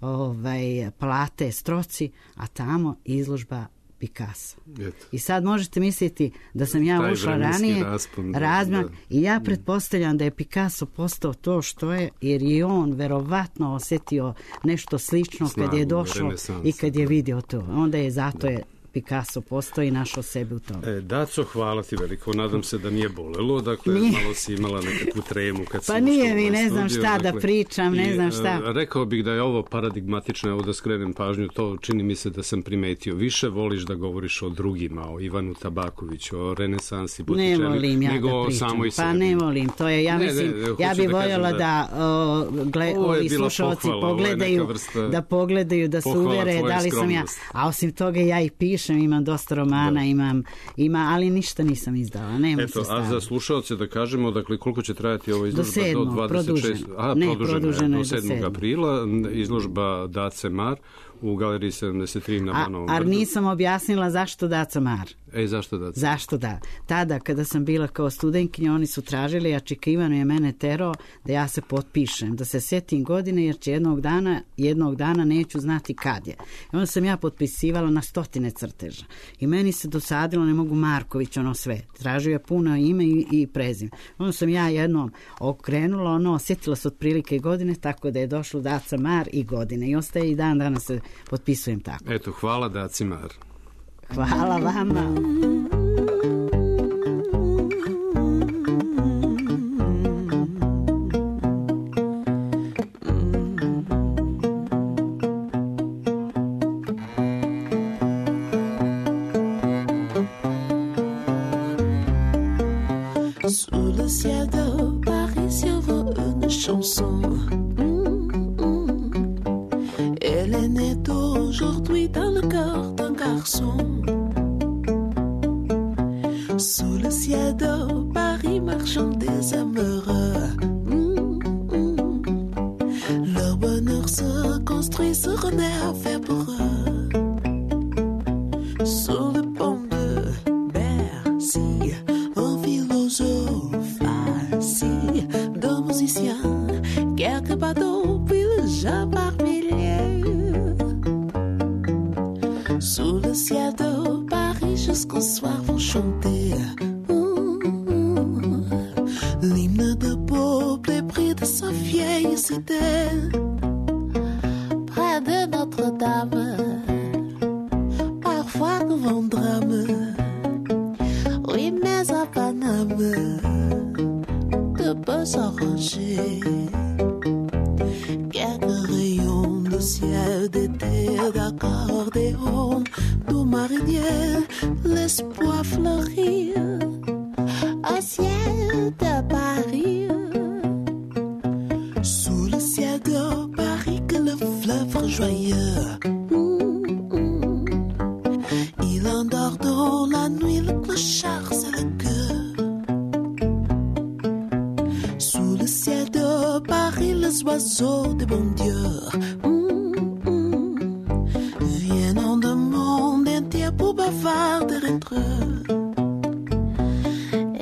ovaj, palate Stroci, a tamo izložba Picasso. Eto. I sad možete misliti da sam ja taj ušla ranije, raspon, razmak, da. I ja pretpostavljam da je Picasso postao to što je, jer je on verovatno osjetio nešto slično snagu, kad je došao i kad je vidio to. Onda je zato je Picasso postoji, našao sebe u tome. E, Daco, hvala ti veliko. Nadam se da nije bolelo. Dakle, Nije. malo si imala nekakvu tremu kad si Pa ušla nije u mi, ovaj ne znam studio, šta da dakle, pričam, ne i, znam šta. e, Rekao bih da je ovo paradigmatično, evo da skrenem pažnju, to čini mi se da sam primetio. Više voliš da govoriš o drugima, o Ivanu Tabakoviću, o renesansi Ne Botticelli, volim ja nego da o pričam. samoj Pa sebi. ne volim, to je, ja Ne, mislim, ne, ne, ja hoću bih da kažem voljela da- da, o, gle, Ovo je ovi bila slušalci pohvala, ovo je neka pogledaju, vrsta da pogledaju, da se pohvala uvere tvoje da li sam ja, skromnosti. a osim toga ja i pišem, imam dosta romana, imam, ima, ali ništa nisam izdala, nemam Eto, sredstava. a za slušaoce da kažemo, dakle, koliko će trajati ova izložba? sedmog, dvadeset šestog produženo. A, Ne, produženo, produženo je do do sedmog sedmog. aprila, izložba Dace Mar u galeriji sedamdeset tri na A, Banovom a brdu. nisam objasnila zašto Daco Mar. Ej, zašto Dace? Zašto da? Tada kada sam bila kao studentkinja, oni su tražili, a Čika Ivano je mene terao da ja se potpišem, da se setim godine, jer će jednog dana, jednog dana neću znati kad je. I onda sam ja potpisivala na stotine crteža. I meni se dosadilo, ne mogu Marković, ono sve. Tražio je puno ime i, i prezim. Onda sam ja jednom okrenula, ono, sjetila se otprilike godine, tako da je došlo Daca Mar i godine. I ostaje i dan danas se potpisujem tako. Eto, hvala Daci Mar. Hvala vama. Sous le ciel de Paris survole une chanson. Elle est née aujourd'hui dans le cœur d'un garçon. Sous le ciel de Paris marchent des amoureux. Leur bonheur se construit, se renaît fait pour eux. Sous le pont de Bercy, un philosophe assis, deux musiciens, quelques bateaux, puis le jeu par milliers. Sous le ciel de Paris, jusqu'au soir vont chanter mmh, l'hymne de peuple épris de sa vieille cité. Près de Notre-Dame, parfois devant drame. Oui, mais à Paname, de beaux s'arranger. Quelques rayons de ciel d'été, d'accordéon, d'eau marinière, l'espoir fleurit. Au ciel de Paris, sous le ciel de Paris, que le fleuve rejoyeux. Il endort dans la nuit, le clochard c'est le cœur. Sous le ciel de Paris, les oiseaux des bons dieux viennent en de monde entier pour bavarder entre eux.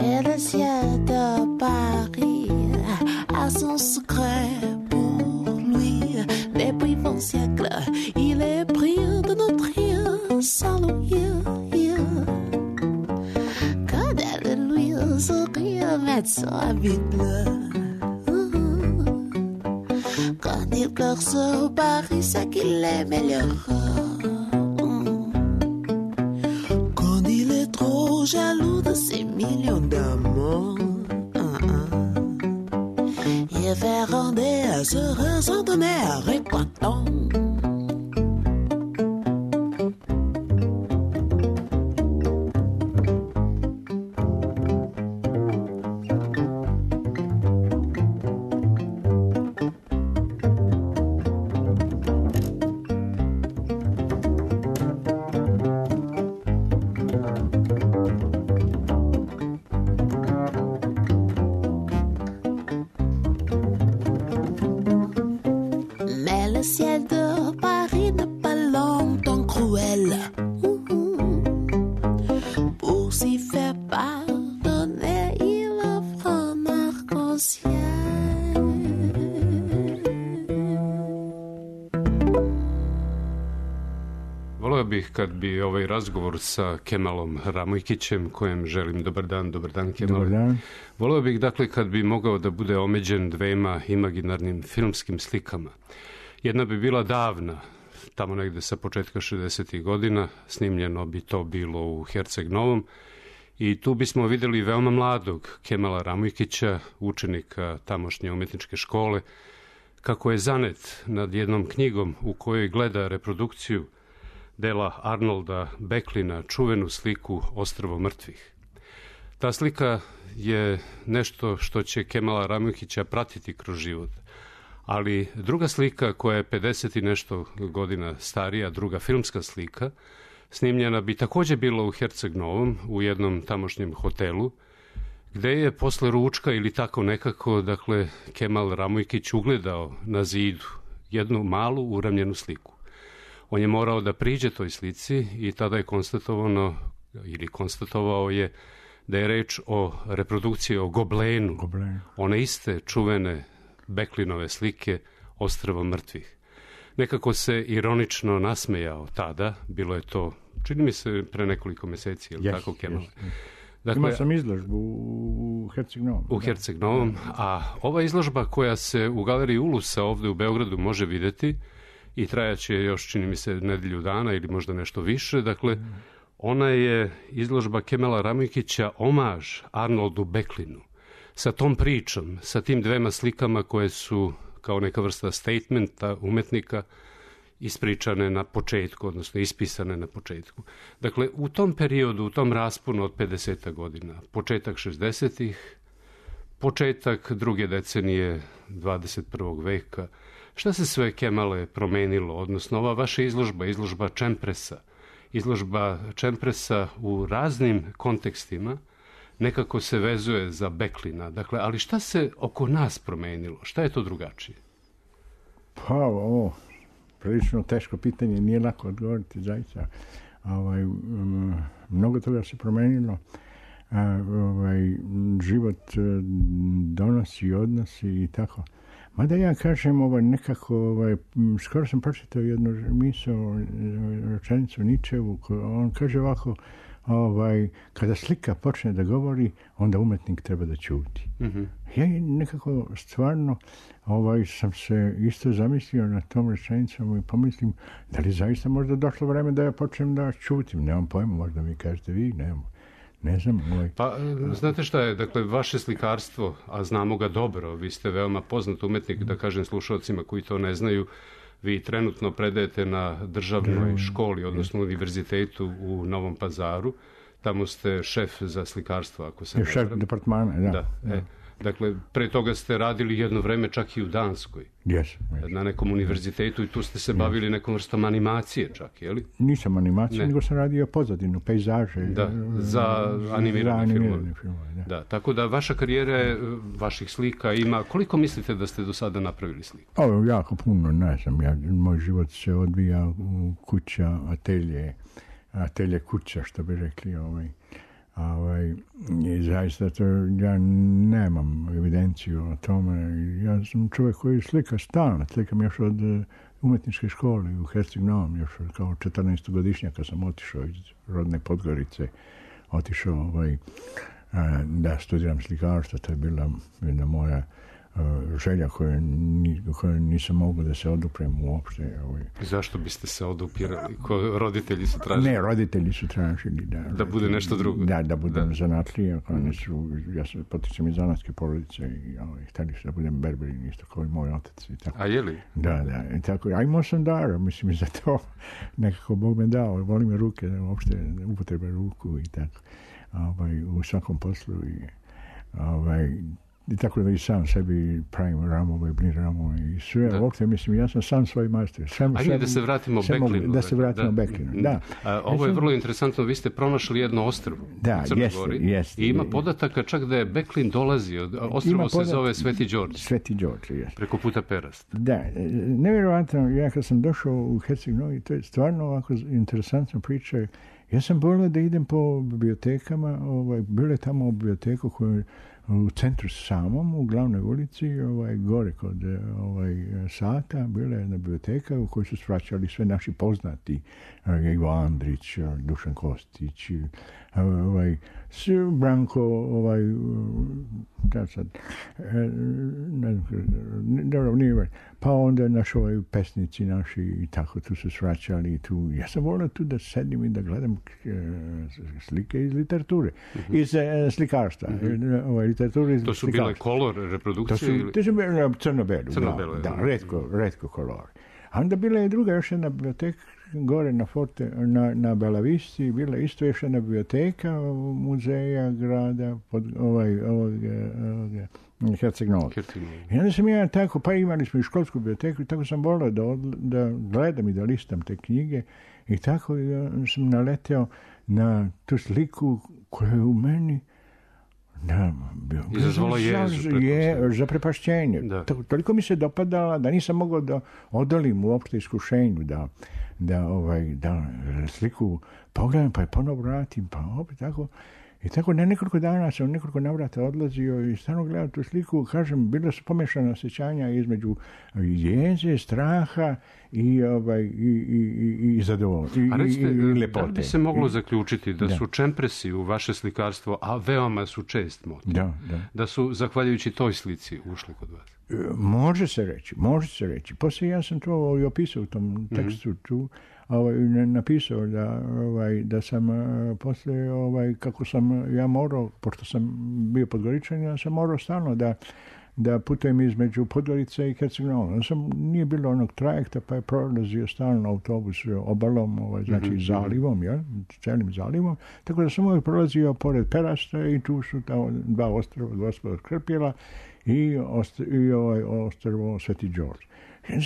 Et le ciel de Paris a son secret pour lui. Depuis vingt siècles, il est pris de notre rien sans l'ouïe. Quand elle lui sourire, mettre son habit bleu. Quand il pleure sur Paris, c'est qu'il est meilleur. Quand il est trop jaloux de ses millions d'amours, il fait rendre à se ressentonner à récoitant. Mais le ciel de Paris n'est pas longtemps cruel. Pour s'y faire pardonner, il offre un arc-en-ciel. Voleo bih kad bi ovaj razgovor sa Kemalom Ramojkićem, kojem želim dobar dan, dobar dan Kemal. Dobar dan. Voleo bih dakle kad bi mogao da bude omeđen dvema imaginarnim filmskim slikama. Jedna bi bila davna, tamo negde sa početka šezdesetih godina, snimljeno bi to bilo u Herceg Novom, i tu bismo videli veoma mladog Kemala Ramujkića, učenika tamošnje umetničke škole, kako je zanet nad jednom knjigom u kojoj gleda reprodukciju dela Arnolda Becklina, čuvenu sliku Ostrvo mrtvih. Ta slika je nešto što će Kemala Ramujkića pratiti kroz život. Ali druga slika koja je pedeset i nešto godina starija, druga filmska slika, snimljena bi takođe bila u Herceg Novom, u jednom tamošnjem hotelu, gde je posle ručka ili tako nekako, dakle, Kemal Ramujkić ugledao na zidu jednu malu uramljenu sliku. On je morao da priđe toj slici i tada je konstatovano, ili konstatovao je, da je reč o reprodukciji, o goblenu, Goblen. one iste čuvene Becklinove slike Ostrvo mrtvih. Nekako se ironično nasmejao tada, bilo je to, čini mi se, pre nekoliko meseci, ili yes, tako, Kemal? Yes, yes. Dakle, Imao sam izložbu u Herceg Novom. U Herceg Novom, a ova izložba koja se u galeriji Ulusa ovde u Beogradu može videti i trajaće još, čini mi se, nedelju dana ili možda nešto više, dakle, ona je izložba Kemala Ramujkića omaž Arnoldu Becklinu, sa tom pričom, sa tim dvema slikama koje su kao neka vrsta statementa umetnika ispričane na početku, odnosno ispisane na početku. Dakle, u tom periodu, u tom rasponu od pedeset godina, početak šezdesetih, početak druge decenije dvadeset prvog veka, šta se sve, Kemale, promenilo, odnosno ova vaša izložba, izložba Čempresa, izložba Čempresa u raznim kontekstima, nekako se vezuje za Becklina. Dakle, ali šta se oko nas promenilo? Šta je to drugačije? Pa, ovo, prilično teško pitanje, nije lako odgovoriti, zaista. Ovaj, um, mnogo toga se promenilo. A, ovaj, život donosi, odnosi i tako. Mada ja kažem, ovaj, nekako, ovaj, skoro sam pročitao jednu misao, rečenicu Ničevu, on kaže ovako, ovaj, kada slika počne da govori, onda umetnik treba da ćuti. Mm-hmm. Ja nekako stvarno ovaj, sam se isto zamislio na tom rečenicom i pomislim, da li zaista možda došlo vreme da ja počnem da ćutim. Nemam pojma, možda mi kažete vi, nemam. Ne znam. Ovaj. Pa, znate šta je, dakle, vaše slikarstvo, a znamo ga dobro, vi ste veoma poznat umetnik, da kažem slušalcima koji to ne znaju, vi trenutno predajete na državnoj školi, odnosno univerzitetu u Novom Pazaru. Tamo ste šef za slikarstvo, ako se ne Šef varam. departmana, da. Da, da. E, dakle, pre toga ste radili jedno vreme čak i u Danskoj. Yes, yes. Na nekom univerzitetu i tu ste se bavili nekom vrstom animacije čak, je li? Nisam animacija, Ne. nego sam radio pozadinu, pejzaže. Da, za animirane, za filmove. animirane filmove. Da. Da, tako da vaša karijera je, vaših slika ima, koliko mislite da ste do sada napravili slika? Ovo jako puno, ne znam, ja, moj život se odvija u kuća, atelje, atelje kuća, što bi rekli, ovaj, ovaj, i zaista to, ja nemam evidenciju o tome, ja sam čovjek koji slika stalno, slikam još od uh, umetničke škole u Herceg Novom, još od, kao četrnaestogodišnjaka sam otišao iz rodne Podgorice, otišao ovaj, da studiram slikarstvo, to je bila jedna moja uh, želja koju, ni, koju nisam mogao da se oduprem uopšte. Ovaj. Zašto biste se odupirali? Ko roditelji su tražili? Ne, roditelji su tražili da... Da bude nešto drugo? Da, da budem da. zanatlija. Oni su, ja sam potičem iz zanatske porodice i ovaj, htjeli su da budem berberin, isto kao i moj otac. I tako. A je li? Da, da. I tako, a imao sam dara, mislim, i za to nekako Bog me dao. Volim me ruke, uopšte upotrebe ruku i tako. Ovaj, u svakom poslu i ovaj, i tako da i sam sebi pravim ramove, blin ramove i sve. Da. Uopšte, mislim, ja sam sam svoj majstor. Sam, Ajde da se vratimo Becklinu. Da se vratimo da. Becklinu, da. A, ovo je vrlo interesantno, vi ste pronašli jedno ostrvo da, u Crnoj jest, Gori. Jest, I ima podataka čak da je Becklin dolazio. Ostrvo se zove Sveti Đorđe. Sveti Đorđe, jest. Preko puta Perast. Da, nevjerovatno, ja kad sam došao u Herceg Novi, to je stvarno ovako interesantna priča. Ja sam volio da idem po bibliotekama, ovaj, bilo je tamo u biblioteku koju u centru samom, u glavnoj ulici, ovaj, gore kod ovaj, sata, bila je jedna biblioteka u kojoj su svraćali sve naši poznati, Ivo Andrić, Dušan Kostić, ovaj, Branko, ovaj, da sad, ne znam, dobro, nije, pa onda naši ovaj, pesnici naši i tako tu su svraćali tu. Ja sam volio tu da sedim i da gledam slike iz literature, mm-hmm. iz slikarstva, mm-hmm. ovaj, literature iz to su slikarstva. Bile kolor reprodukcije? To su, ili... to su bile crno-belu, crno-belu, da, da, redko, redko kolor. A onda bila je druga još jedna biblioteka gore na Forte, na, na Belavisti, bila isto još jedna biblioteka muzeja grada pod ovaj, ovog, ovog Herceg Novog. I onda sam ja tako, pa imali smo i školsku biblioteku i tako sam volio da, da gledam i da listam te knjige i tako ja sam naleteo na tu sliku koja je u meni da, izazvala jezu. Je, zaprepašćenje. To, toliko mi se dopadala da nisam mogao da odolim uopšte iskušenju, da, da, ovaj, da sliku pogledam, pa je ponovo vratim, pa opet tako. I tako na nekoliko dana sam nekoliko navrata odlazio i stvarno gledao tu sliku, kažem, bilo su pomešana osjećanja između jeze, straha i, ovaj, i, i, i, i zadovoljstva. A recite, i, i lepote. Da li bi se moglo zaključiti da, da su čempresi u vaše slikarstvo, a veoma su čest motiv, da, da. da su, zahvaljujući toj slici, ušli kod vas? Može se reći, može se reći. Poslije ja sam to i opisao u tom tekstu mm-hmm. tu, ovaj, napisao da, ovaj, da sam poslije, ovaj, kako sam ja morao, pošto sam bio Podgoričan, ja sam morao stalno da, da putujem između Podgorice i Herceg Novog. Sam, nije bilo onog trajekta, pa je prolazio stalno autobus obalom, ovaj, znači mm-hmm. zalivom, ja, celim zalivom, tako da sam uvijek prolazio pored Perasta i tu su ta dva ostrva, Gospodar Krpjela i, ostr, i ovaj ostrvo Sveti Đorđe.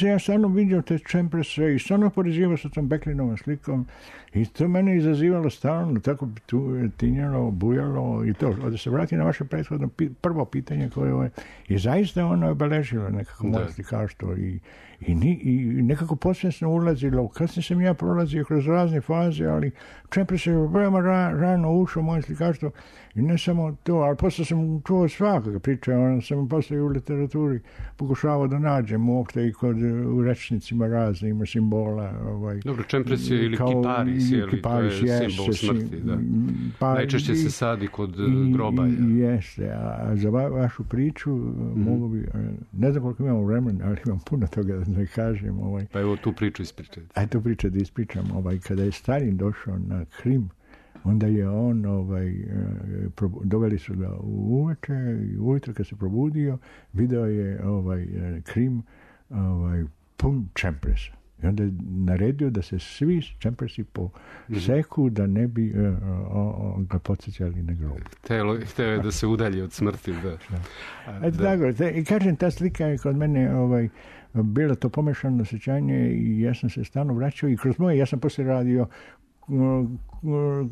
Ja stvarno vidio te čemprese i stvarno porezivao sa tom Beklinovom slikom i to mene izazivalo stalno, tako tu tinjalo, bujalo i to. Da se vrati na vaše prethodno prvo pitanje koje je, i zaista ono je obeležilo nekako moje slikarstvo i, i, i nekako posvjesno ulazilo. Kasnije sam ja prolazio kroz razne faze, ali čemprese je veoma ra, rano ušao moje slikarstvo i ne samo to, ali posle sam čuo svakog priča, ono sam posle u literaturi pokušavao da nađem uopšte i kod u rečnicima raznim simbola. Ovaj, dobro, čempres je ili kiparis, je li, to je simbol smrti, da. Pa, najčešće se sadi kod i, groba. I, jeste, a za va, vašu priču mm-hmm. mogu bi, ne znam koliko imamo vremena, ali imam puno toga da kažem. Ovaj. Pa evo tu priču ispričati. Aj tu priču da ispričam. Ovaj, kada je Stalin došao na Krim, onda je on, ovaj, doveli su ga uveče i ujutro kad se probudio, video je ovaj, Krim ovaj, pun čempresa. I onda je naredio da se svi čempresi poseku da ne bi uh, uh, ga podsjećali na grob. Hteo je da se udalji od smrti. Da. A, Eto da. Tako, te, i kažem, ta slika je kod mene ovaj, bila to pomešano osjećanje i ja sam se stalno vraćao i kroz moje, ja sam poslije radio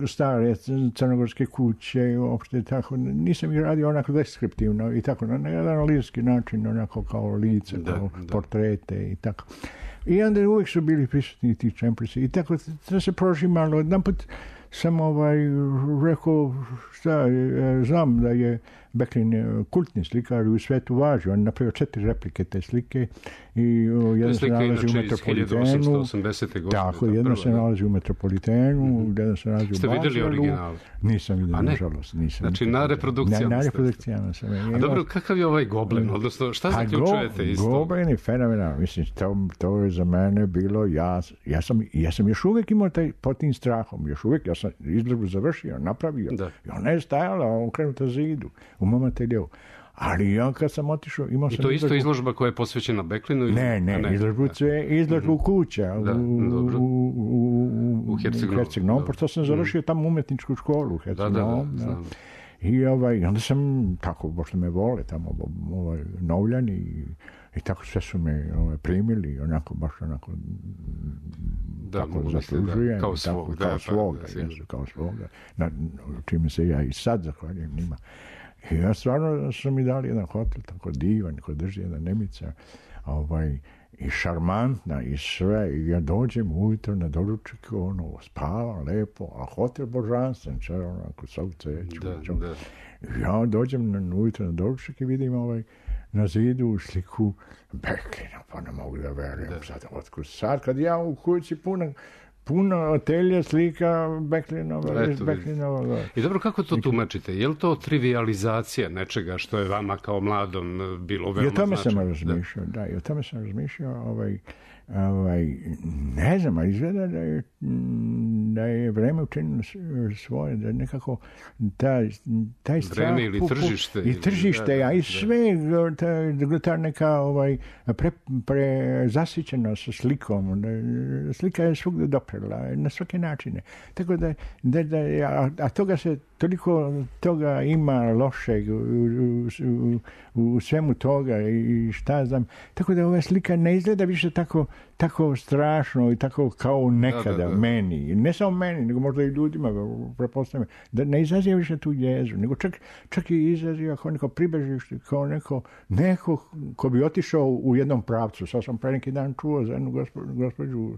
stare crnogorske kuće, uopšte tako, nisam ih radio onako deskriptivno i tako, na jedan lirski način, onako kao lice, da, kao da. Portrete i tako. I onda uvijek su bili prisutni ti čempresi i tako, to se prožimalo. Jedan put sam ovaj, rekao, šta, znam da je Beklin kultni slikar u svetu važi. On napravio četiri replike te slike i o, jedan se nalazi u Metropolitenu. hiljadu osamsto osamdesete godine. Tako, jedan se nalazi u Metropolitenu, mm-hmm. jedan se nalazi u Ste vidjeli original? Nisam vidio, nažalost. Nisam. Znači, na reprodukcijama Na, na reprodukcijama sam. A dobro, kakav je ovaj Goblen? Odnosno, šta zaključujete go, isto? Goblen je fenomenal. Mislim, to, to je za mene bilo, ja, ja, sam, ja sam još uvijek imao taj pod tim strahom. Još uvijek, ja sam izložbu završio, napravio. Da. I ona je stajala okrenuta zidu u mom ateljevu. Ali ja kad sam otišao, imao sam... I to isto izložba koja je posvećena Beklinu? Ili... Ne, ne, ne, izložbu, izložbu mm-hmm. kuća da, u, u, u, u, u Herceg Novom, pošto sam završio mm. tamo umetničku školu u Herceg Novom. Da, da, da, I ovaj, onda sam tako, pošto me vole tamo ovaj, Novljani i, i tako sve su me ovaj, primili, onako, baš onako da, tako zaslužujem. Da, kao svog. Tako, da, kao svoga, pa, jesu, kao svoga. Na, čime se ja i sad zahvaljujem njima. I ja stvarno sam mi dali jedan hotel, tako divan, ko drži jedna Nemica, ovaj, i šarmantna i sve, i ja dođem ujutro na doručak, ono, spavam lepo, a hotel božanstven, če, onako, sav cveću. Da, da. Ja dođem na, ujutro na doručak i vidim ovaj, na zidu sliku Becklina, pa ne mogu da verujem sad, otkud sad, kad ja u kući puna, puno atelja slika Becklinova, iz Becklinova. I dobro, kako to tumačite? Je li to trivializacija nečega što je vama kao mladom bilo veoma značajno? I o tome sam razmišljao, da. da, i o tome sam razmišljao, ovaj, ovaj, ne znam, a izgleda da je, da je vreme učinilo svoje, da nekako taj, taj strah... Vreme ili tržište. I tržište, a i sve, ta, ta neka ovaj, pre, pre zasićena sa slikom, da, slika je svugdje doprela, na svake načine. Tako da, da, da a, a toga se, toliko toga ima lošeg u, u, u, u svemu toga i šta znam. Tako da ova slika ne izgleda više tako, tako strašno i tako kao nekada da, da, da. meni. Ne samo meni, nego možda i ljudima, prepostavljam, da ne izaziva više tu jezu, nego čak, čak i izaziva kao neko pribežište, kao neko, neko ko bi otišao u jednom pravcu. Sad sam pre neki dan čuo za jednu gospođu, gospođu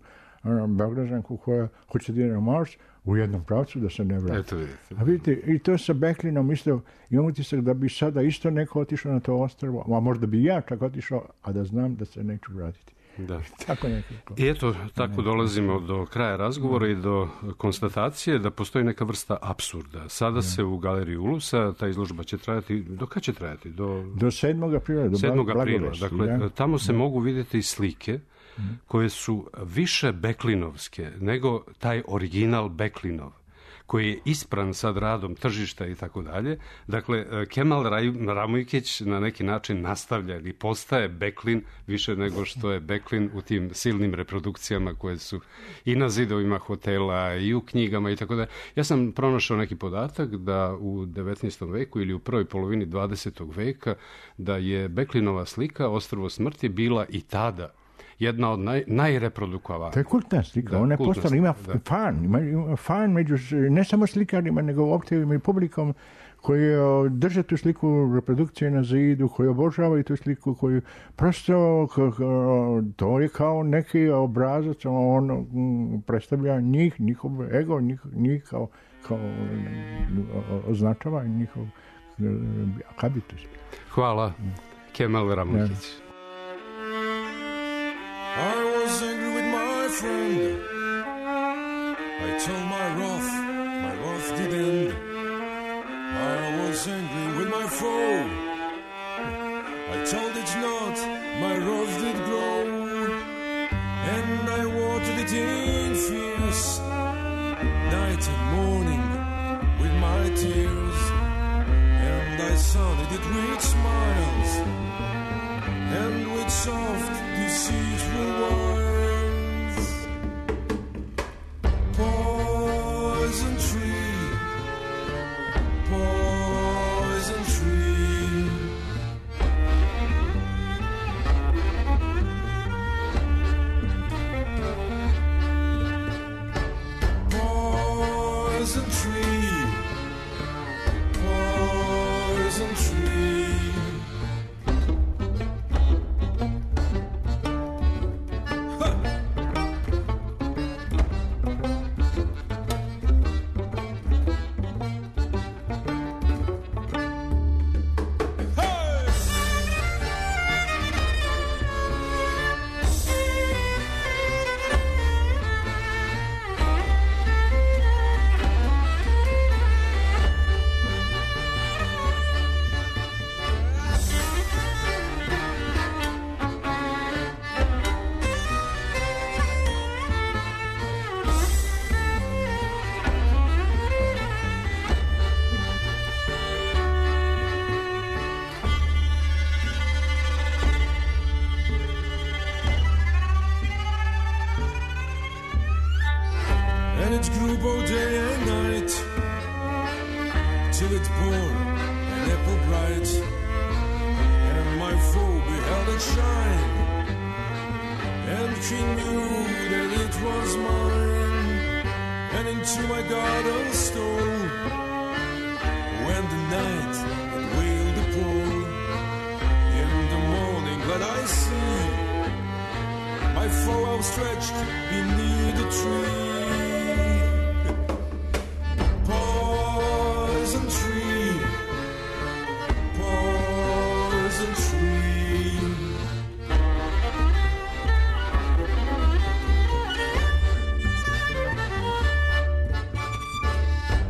Beograđanku koja hoće da ide na Mars u jednom pravcu da se ne vrati. Eto vidite. A vidite, i to sa Becklinom isto, imam utisak da bi sada isto neko otišao na to ostrvo, a možda bi ja čak otišao, a da znam da se neću vratiti. Da. Tako nekako. I eto, tako dolazimo do kraja razgovora i do konstatacije da postoji neka vrsta apsurda. Sada se u Galeriji Ulusa, ta izložba će trajati, do kada će trajati? Do, do sedmog aprila, do sedmog aprila. Dakle, da? tamo se da. mogu vidjeti slike koje su više Becklinovske nego taj original Becklinov, koji je ispran sad radom tržišta i tako dalje. Dakle, Kemal Ramujkić na neki način nastavlja ili postaje Becklin više nego što je Becklin u tim silnim reprodukcijama koje su i na zidovima hotela i u knjigama i tako dalje. Ja sam pronašao neki podatak da u devetnaestom veku ili u prvoj polovini dvadesetog veka da je Becklinova slika Ostrvo smrti bila i tada jedna od naj, najreprodukovanija. To je kultna slika, da, ona je postala, ima da. fan, ima, ima fan među, ne samo slikarima, nego uopće i publikom koji drže tu sliku reprodukcije na zidu, koji obožavaju tu sliku, koji prosto, to je kao neki obrazac, on predstavlja njih, njihov ego, njih, njih kao, kao označava njihov habitus. Hvala, Kemal Ramujkić. I was angry with my friend. I told my wrath, my wrath did end. I was angry with my foe. I told it not, my wrath did grow. And I watered it in fierce, night and morning with my tears. And I sounded it with smiles and with soft, deceitful words. Poison tree, poison tree. Poison tree, poison tree. And it grew both day and night, till it bore an apple bright. And my foe beheld it shine, and he knew that it was mine. And into my garden stole, when the night had veiled the pole. In the morning glad I see stretched beneath a tree. Poison tree, poison tree.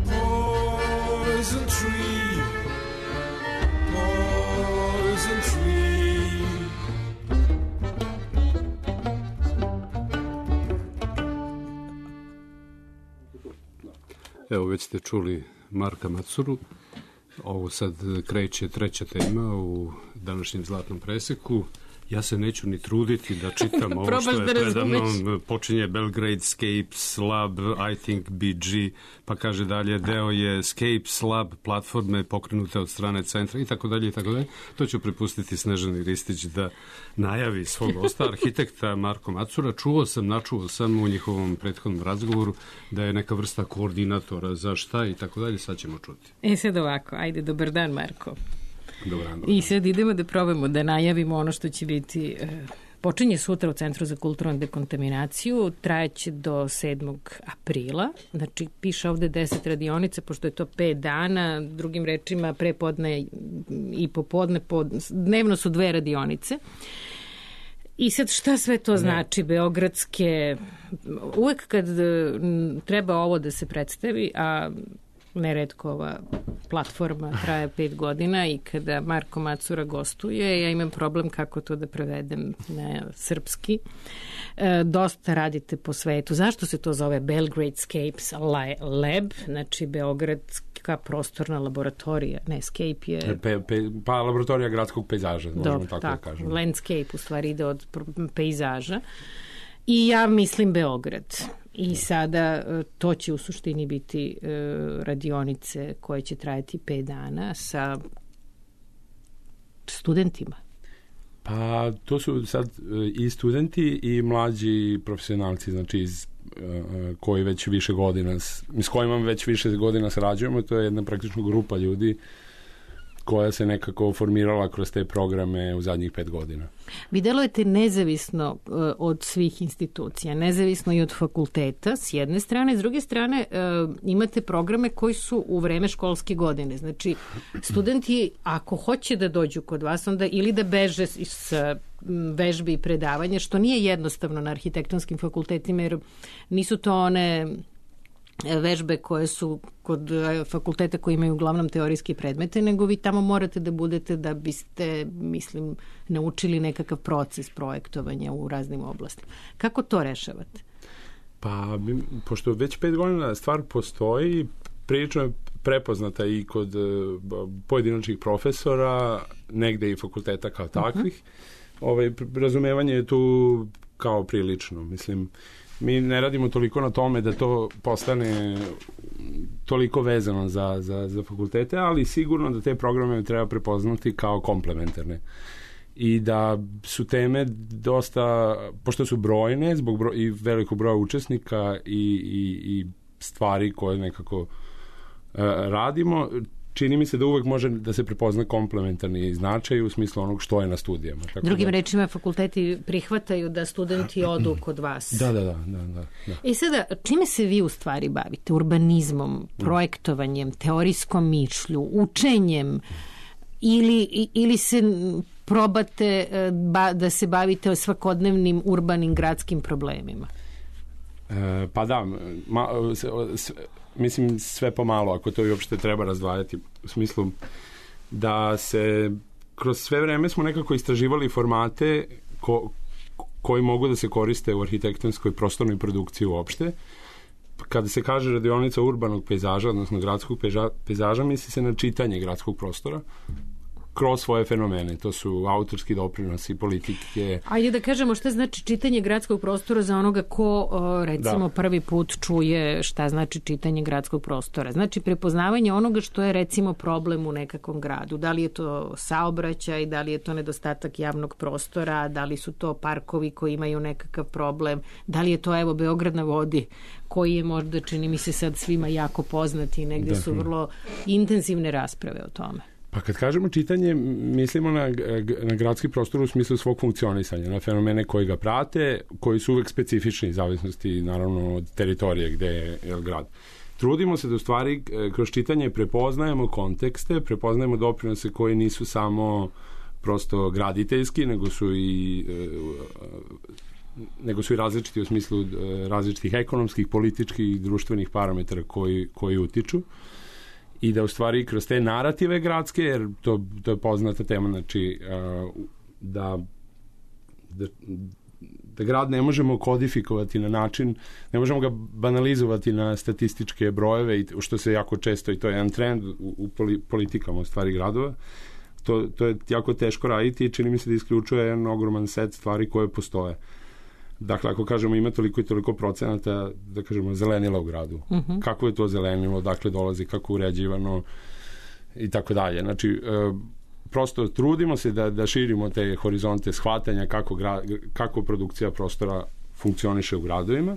Poison tree, poison tree. Evo, već ste čuli Marka Macuru. Ovo sad kreće treća tema u današnjem Zlatnom preseku. Ja se neću ni truditi da čitam ovo što je da predamnom. Počinje Belgradescapes Lab, I think B G, pa kaže dalje, deo je Scapes Lab, platforme pokrenute od strane centra i tako dalje i tako dalje. To ću prepustiti Snežani Ristić da najavi svog gosta, arhitekta Marko Macura. Čuo sam, načuo sam u njihovom prethodnom razgovoru da je neka vrsta koordinatora za šta i tako dalje. Sad ćemo čuti. E sad ovako, ajde, dobar dan Marko. Dobar dan, dobar I dan. sad idemo da probamo da najavimo ono što će biti, e, počinje sutra u Centru za kulturnu dekontaminaciju, trajeće do sedmog aprila, znači piše ovde deset radionica, pošto je to pet dana, drugim rečima prepodne i popodne, pod, dnevno su dve radionice. I sad šta sve to znači, beogradske, uvek kad m, treba ovo da se predstavi, a neretko ova platforma traje pet godina i kada Marko Macura gostuje, ja imam problem kako to da prevedem na srpski. E, dosta radite po svetu. Zašto se to zove Belgradescapes Lab, znači Beogradska prostorna laboratorija? Ne, scape je... Pe, pe, pa laboratorija gradskog pejzaža, možemo Dobro, tako, tako da kažemo. Landscape u stvari ide od pejzaža. I ja mislim Beograd. I sada to će u suštini biti e, radionice koje će trajati pet dana sa studentima. Pa to su sad i studenti i mlađi profesionalci, znači iz, koji već više godina, s kojima već više godina sarađujemo. To je jedna praktično grupa ljudi koja se nekako formirala kroz te programe u zadnjih pet godina. Vi delujete nezavisno uh, od svih institucija, nezavisno i od fakulteta s jedne strane, s druge strane uh, imate programe koji su u vreme školske godine. Znači, studenti ako hoće da dođu kod vas, onda ili da beže s vežbi i predavanja, što nije jednostavno na arhitektonskim fakultetima, jer nisu to one vežbe koje su kod fakulteta koji imaju uglavnom teorijske predmete, nego vi tamo morate da budete da biste, mislim, naučili nekakav proces projektovanja u raznim oblastima. Kako to rešavate? Pa, pošto već pet godina stvar postoji, prilično je prepoznata i kod pojedinačnih profesora, negde i fakulteta kao takvih. Uh-huh. Ovaj, razumevanje je tu kao prilično, mislim. Mi ne radimo toliko na tome da to postane toliko vezano za, za, za fakultete, ali sigurno da te programe treba prepoznati kao komplementarne. I da su teme dosta, pošto su brojne, zbog broj, i velikog broja učesnika i, i, i stvari koje nekako uh, radimo, čini mi se da uvek može da se prepozna komplementarni značaj u smislu onog što je na studijama. Tako Drugim da... rečima, fakulteti prihvataju da studenti odu kod vas. Da, da, da. da, da, da. I sada, čime se vi u stvari bavite? Urbanizmom, projektovanjem, teorijskom mišlju, učenjem ili, ili se probate ba, da se bavite svakodnevnim urbanim gradskim problemima? E, pa da, ma, s, mislim sve pomalo, ako to i uopšte treba razdvajati, u smislu da se kroz sve vreme smo nekako istraživali formate ko, koji mogu da se koriste u arhitektonskoj prostornoj produkciji uopšte. Kada se kaže radionica urbanog pejzaža, odnosno gradskog pejzaža, misli se na čitanje gradskog prostora kroz svoje fenomene. To su autorski doprinosi, politike. Ajde da kažemo šta znači čitanje gradskog prostora za onoga ko, recimo, da. prvi put čuje šta znači čitanje gradskog prostora. Znači prepoznavanje onoga što je, recimo, problem u nekakvom gradu. Da li je to saobraćaj, da li je to nedostatak javnog prostora, da li su to parkovi koji imaju nekakav problem, da li je to, evo, Beograd na vodi, koji je možda, čini mi se sad svima jako poznati i negde su vrlo intenzivne rasprave o tome. Pa kad kažemo čitanje, mislimo na, na gradski prostor u smislu svog funkcionisanja, na fenomene koji ga prate, koji su uvek specifični, zavisnosti naravno od teritorije gde je, je grad. Trudimo se da u stvari kroz čitanje prepoznajemo kontekste, prepoznajemo doprinose koji nisu samo prosto graditeljski, nego su i nego su i različiti u smislu različitih ekonomskih, političkih, društvenih parametara koji, koji utiču. I da u stvari kroz te narative gradske, jer to, to je poznata tema, znači da, da, da grad ne možemo kodifikovati na način, ne možemo ga banalizovati na statističke brojeve, i što se jako često, i to je jedan trend u, u politikama u stvari gradova, to, to je jako teško raditi i čini mi se da isključuje jedan ogroman set stvari koje postoje. Dakle, ako kažemo ima toliko i toliko procenata, da kažemo, zelenila u gradu. Uh-huh. Kako je to zelenilo, dakle dolazi, kako uređivano i tako dalje. Znači, e, prosto trudimo se da, da širimo te horizonte shvatanja kako, gra, kako produkcija prostora funkcioniše u gradovima.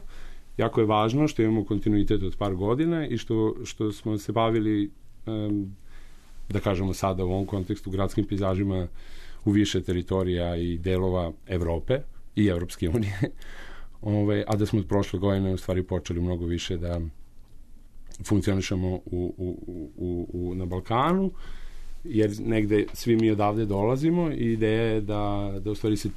Jako je važno što imamo kontinuitet od par godina i što, što smo se bavili, e, da kažemo sada u ovom kontekstu, gradskim pejzažima u više teritorija i delova Evrope i Evropske unije, Ove, a da smo od prošle godine u stvari počeli mnogo više da funkcionišemo u, u, u, u, na Balkanu, jer negde svi mi odavde dolazimo i ideja je da, da u stvari se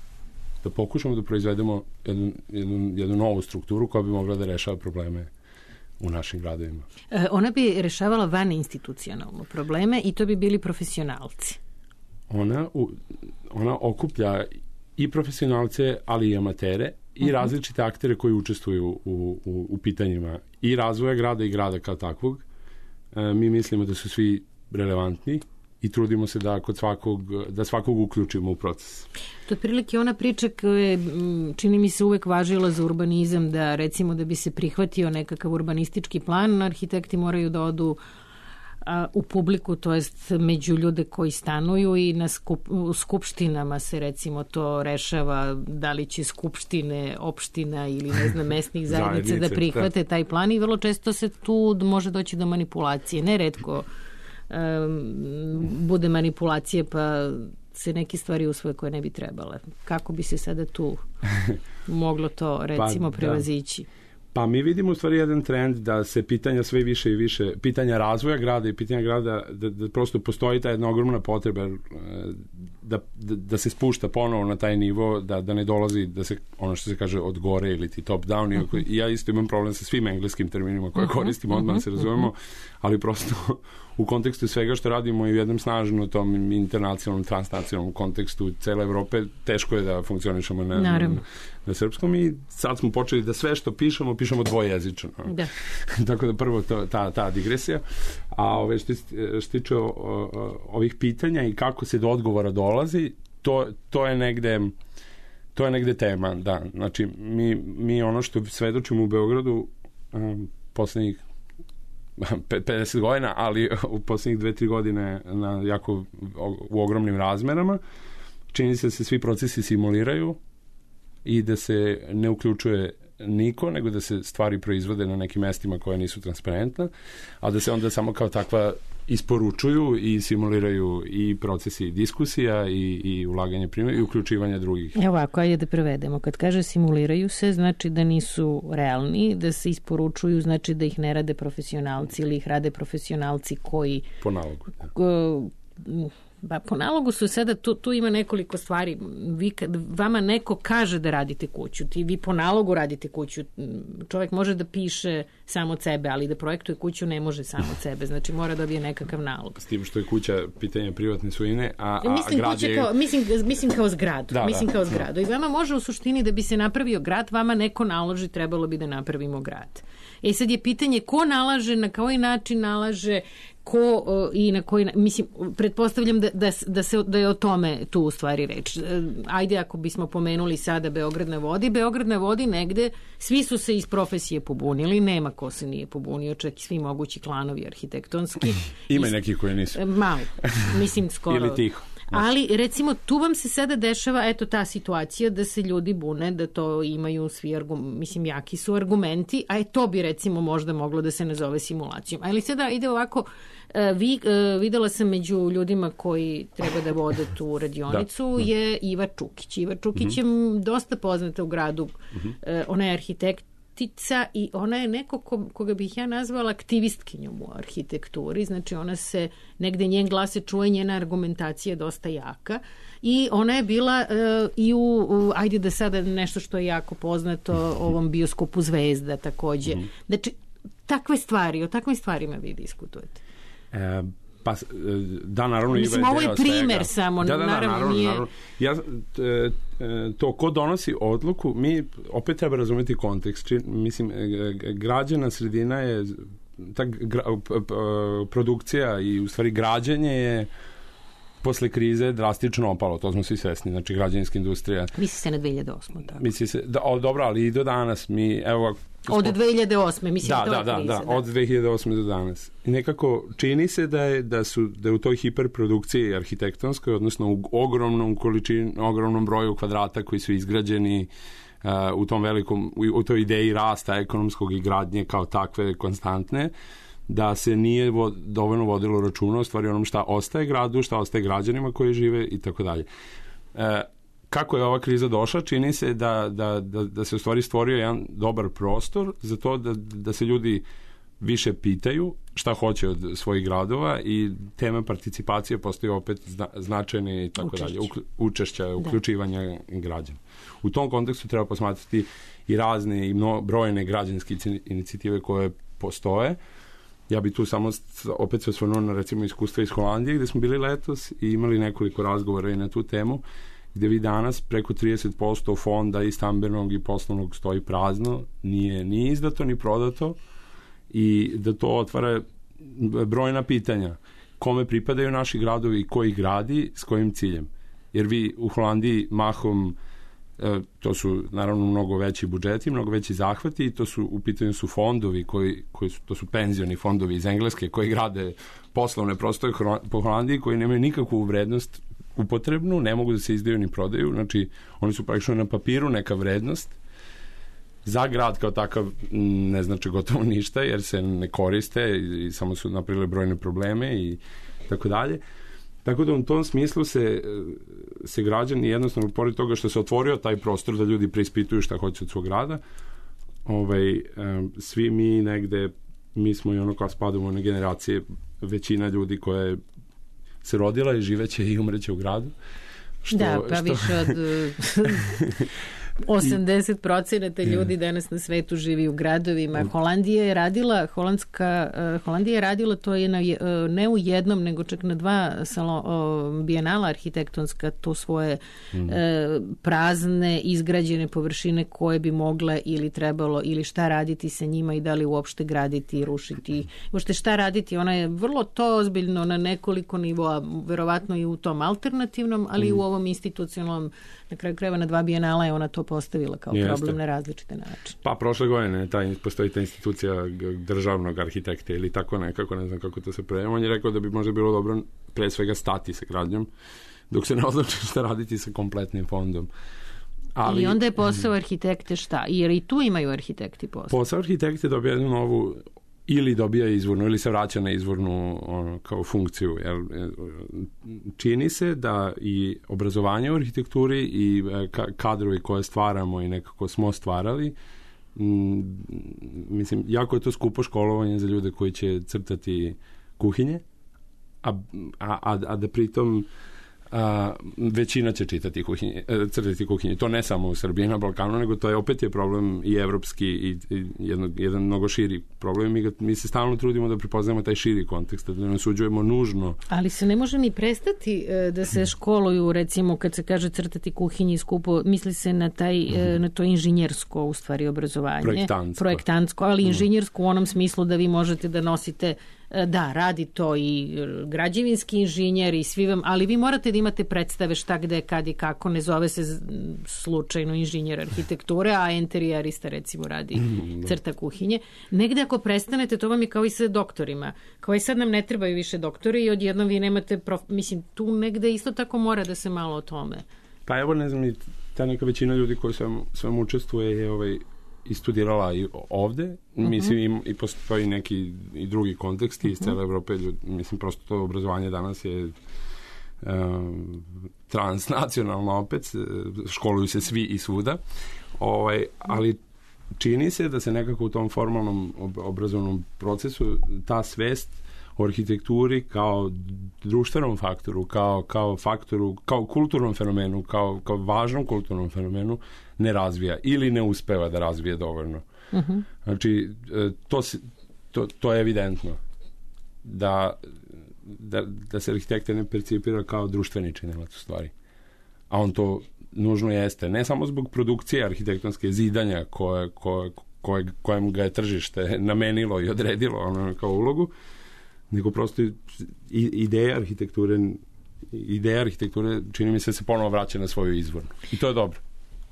da pokušamo da proizvedemo jednu, jednu, jednu novu strukturu koja bi mogla da rešava probleme u našim gradovima. E, ona bi rešavala van institucionalno probleme i to bi bili profesionalci. Ona, u, ona okuplja i profesionalce, ali i amatere i uh-huh. različite aktere koji učestvuju u, u, u pitanjima i razvoja grada i grada kao takvog. E, mi mislimo da su svi relevantni i trudimo se da kod svakog, da svakog uključimo u proces. To je prilike ona priča koja je, čini mi se, uvek važila za urbanizam, da recimo da bi se prihvatio nekakav urbanistički plan, arhitekti moraju da odu u publiku, to jest među ljude koji stanuju i na skup, u skupštinama se recimo to rešava da li će skupštine, opština ili ne znam mesnih zajednice da prihvate da. taj plan i vrlo često se tu može doći do manipulacije. Neretko um, bude manipulacije pa se neke stvari usvoje koje ne bi trebale. Kako bi se sada tu moglo to recimo pa, prevazići? Da. Pa mi vidimo u stvari jedan trend da se pitanja sve više i više, pitanja razvoja grada i pitanja grada, da, da prosto postoji ta jedna ogromna potreba da, da, da se spušta ponovo na taj nivo, da, da ne dolazi, da se, ono što se kaže, od gore ili ti top down. Uh-huh. I ja isto imam problem sa svim engleskim terminima koje uh-huh. koristim, odmah uh-huh. se razumemo, ali prosto u kontekstu svega što radimo i u jednom snažnom tom internacionalnom, transnacionalnom kontekstu cele Evrope, teško je da funkcionišemo na, na, na srpskom i sad smo počeli da sve što pišemo, pišemo dvojezično. Da. Tako da prvo to, ta, ta digresija. A ove što, što tiče o, o, ovih pitanja i kako se do odgovora dolazi, to, to je negde to je negde tema, da. Znači, mi, mi ono što svedočimo u Beogradu um, poslednjih pedeset godina, ali u poslednjih dve tri godine na jako u ogromnim razmerama, čini se da se svi procesi simuliraju i da se ne uključuje niko, nego da se stvari proizvode na nekim mestima koje nisu transparentna, a da se onda samo kao takva isporučuju i simuliraju i procesi diskusija i, i ulaganje primjera i uključivanje drugih. Evo ovako, ajde da prevedemo. Kad kaže simuliraju se, znači da nisu realni, da se isporučuju, znači da ih ne rade profesionalci ili ih rade profesionalci koji... Po nalogu. Ko, Ba, po nalogu su sada, tu, tu ima nekoliko stvari. Vi, kad vama neko kaže da radite kuću, ti vi po nalogu radite kuću. Čovjek može da piše samo od sebe, ali da projektuje kuću ne može samo od sebe. Znači mora dobije nekakav nalog. S tim što je kuća pitanje privatne svojine, a, a mislim, grad je... Kao, mislim, mislim kao zgradu. Da, mislim da, kao zgradu. I vama može u suštini da bi se napravio grad, vama neko naloži, trebalo bi da napravimo grad. E sad je pitanje ko nalaže, na koji način nalaže, ko uh, i na koji, mislim, pretpostavljam da, da, da, se, da je o tome tu u stvari reč. Ajde, ako bismo pomenuli sada Beograd na vodi, Beograd na vodi negde, svi su se iz profesije pobunili, nema ko se nije pobunio, čak i svi mogući klanovi arhitektonski. Ima i neki koji nisu. Malo, mislim skoro. Ili tiho. Ali, recimo, tu vam se sada dešava, eto, ta situacija da se ljudi bune, da to imaju svi, argum, mislim, jaki su argumenti, a je to bi, recimo, možda moglo da se nazove simulacijom. Ali sada ide ovako, vi, videla sam među ljudima koji treba da vode tu radionicu, da. je Iva Čukić. Iva Čukić mm-hmm. je dosta poznata u gradu, mm-hmm. ona je arhitekt, i ona je neko ko, koga bih ja nazvala aktivistkinjom u arhitekturi, znači ona se, negde njen glas se čuje, njena argumentacija je dosta jaka i ona je bila uh, i u, u, ajde da sada nešto što je jako poznato, ovom bioskopu Zvezda takođe. Mm-hmm. Znači, takve stvari, o takvim stvarima vi diskutujete. E, pa, da, naravno, mislim, Iva je ovo je primer svega. samo, da, da, da, naravno, naravno, nije... naravno. Ja, to ko donosi odluku, mi opet treba razumeti kontekst. Či, mislim, građana sredina je ta gra, produkcija i u stvari građenje je posle krize drastično opalo, to smo svi svesni, znači građevinska industrija. Misli se na dve hiljade osme. Tako. Misli se, da, o, dobro, ali i do danas mi, evo... Od dve hiljade osme, mislim, da, to da, je da, kriza. Da, od dve hiljade osme do danas. I nekako čini se da je, da su, da je u toj hiperprodukciji arhitektonskoj, odnosno u ogromnom količini, ogromnom broju kvadrata koji su izgrađeni uh, u tom velikom, u, u toj ideji rasta ekonomskog i gradnje kao takve konstantne, da se nije vo, dovoljno vodilo računa o stvari onom šta ostaje gradu, šta ostaje građanima koji žive i tako dalje. Kako je ova kriza došla, čini se da, da, da, da se u stvari stvorio jedan dobar prostor za to da, da se ljudi više pitaju šta hoće od svojih gradova i tema participacije postoji opet zna, značajne i tako dalje, učešća, uključivanja građana. U tom kontekstu treba posmatrati i razne i mno, brojne građanske inicijative koje postoje. Ja bi tu samo opet se osvrnuo na recimo iskustva iz Holandije gde smo bili letos i imali nekoliko razgovora i na tu temu, gde vi danas preko trideset posto fonda i stambenog i poslovnog stoji prazno, nije ni izdato ni prodato i da to otvara brojna pitanja. Kome pripadaju naši gradovi i ko ih gradi, s kojim ciljem? Jer vi u Holandiji mahom to su naravno mnogo veći budžeti, mnogo veći zahvati i to su, u pitanju su fondovi koji, koji su, to su penzioni fondovi iz Engleske koji grade poslovne prostore po Holandiji koji nemaju nikakvu vrednost upotrebnu, ne mogu da se izdaju ni prodaju, znači oni su praktično na papiru neka vrednost. Za grad kao takav ne znači gotovo ništa jer se ne koriste i, i samo su napravili brojne probleme i tako dalje. Tako da u tom smislu se, se građani jednostavno, pored toga što se otvorio taj prostor da ljudi preispituju šta hoće od svog grada, ovaj, svi mi negde, mi smo i ono kao spadamo na generacije, većina ljudi koja se rodila i živeće i umreće u gradu. Što, da, pa što... više od osamdeset procenata ljudi danas na svetu živi u gradovima. Holandija je radila, holandska, Holandija je radila, to je na, ne u jednom, nego čak na dva salon, bijenala arhitektonska, to svoje mm. e, prazne, izgrađene površine koje bi mogle ili trebalo, ili šta raditi sa njima i da li uopšte graditi i rušiti. Uopšte šta raditi, ona je vrlo to ozbiljno na nekoliko nivoa, verovatno i u tom alternativnom, ali mm. i u ovom institucionalnom, na kraju krajeva na dva bijenala je ona to postavila kao Jeste. problem na različite načine. Pa prošle godine taj, postoji ta institucija državnog arhitekta ili tako nekako, ne znam kako to se prejema. On je rekao da bi možda bilo dobro pre svega stati sa gradnjom dok se ne odluči šta raditi sa kompletnim fondom. Ali, I onda je posao arhitekte šta? Jer i tu imaju arhitekti posao. Posao arhitekte dobija jednu novu ili dobija izvornu ili se vraća na izvornu ono, kao funkciju. Jer, čini se da i obrazovanje u arhitekturi i kadrovi koje stvaramo i nekako smo stvarali, m, mislim, jako je to skupo školovanje za ljude koji će crtati kuhinje, a, a, a da pritom a, većina će čitati kuhinje, crtati kuhinje. To ne samo u Srbiji na Balkanu, nego to je opet je problem i evropski i, i jedno, jedan mnogo širi problem. Mi, ga, mi se stalno trudimo da prepoznamo taj širi kontekst, da ne osuđujemo nužno. Ali se ne može ni prestati da se školuju, recimo kad se kaže crtati kuhinje skupo, misli se na, taj, mm-hmm. na to inženjersko u stvari obrazovanje. Projektantsko. Projektantsko, ali inženjersko u onom smislu da vi možete da nosite Da, radi to i građevinski inženjer i svi vam, ali vi morate da imate predstave šta, gde, kad i kako, ne zove se z- slučajno inženjer arhitekture, a enterijerista recimo radi crta kuhinje. Negde ako prestanete, to vam je kao i sa doktorima. Kao i sad nam ne trebaju više doktori i odjednom vi nemate, prof... mislim, tu negde isto tako mora da se malo o tome. Pa evo, ne znam, i ta neka većina ljudi koji svem, svem učestvuje je ovaj, i studirala i ovde, mm-hmm. mislim i, i postoji neki i drugi konteksti mm-hmm. iz cele Evrope, ljudi, mislim prosto to obrazovanje danas je um, transnacionalno opet, školuju se svi i svuda, ovaj, ali čini se da se nekako u tom formalnom ob- obrazovnom procesu ta svest o arhitekturi kao društvenom faktoru, kao, kao faktoru, kao kulturnom fenomenu, kao, kao važnom kulturnom fenomenu ne razvija ili ne uspeva da razvije dovoljno. Uh-huh. Znači, to, to, to je evidentno da, da, da se arhitekta ne percipira kao društveni činilac u stvari. A on to nužno jeste. Ne samo zbog produkcije arhitektonske zidanja koje, koje, koje, kojem ga je tržište namenilo i odredilo ono kao ulogu, nego prosto ideja arhitekture ideja arhitekture čini mi se se ponovo vraća na svoju izvornu. I to je dobro.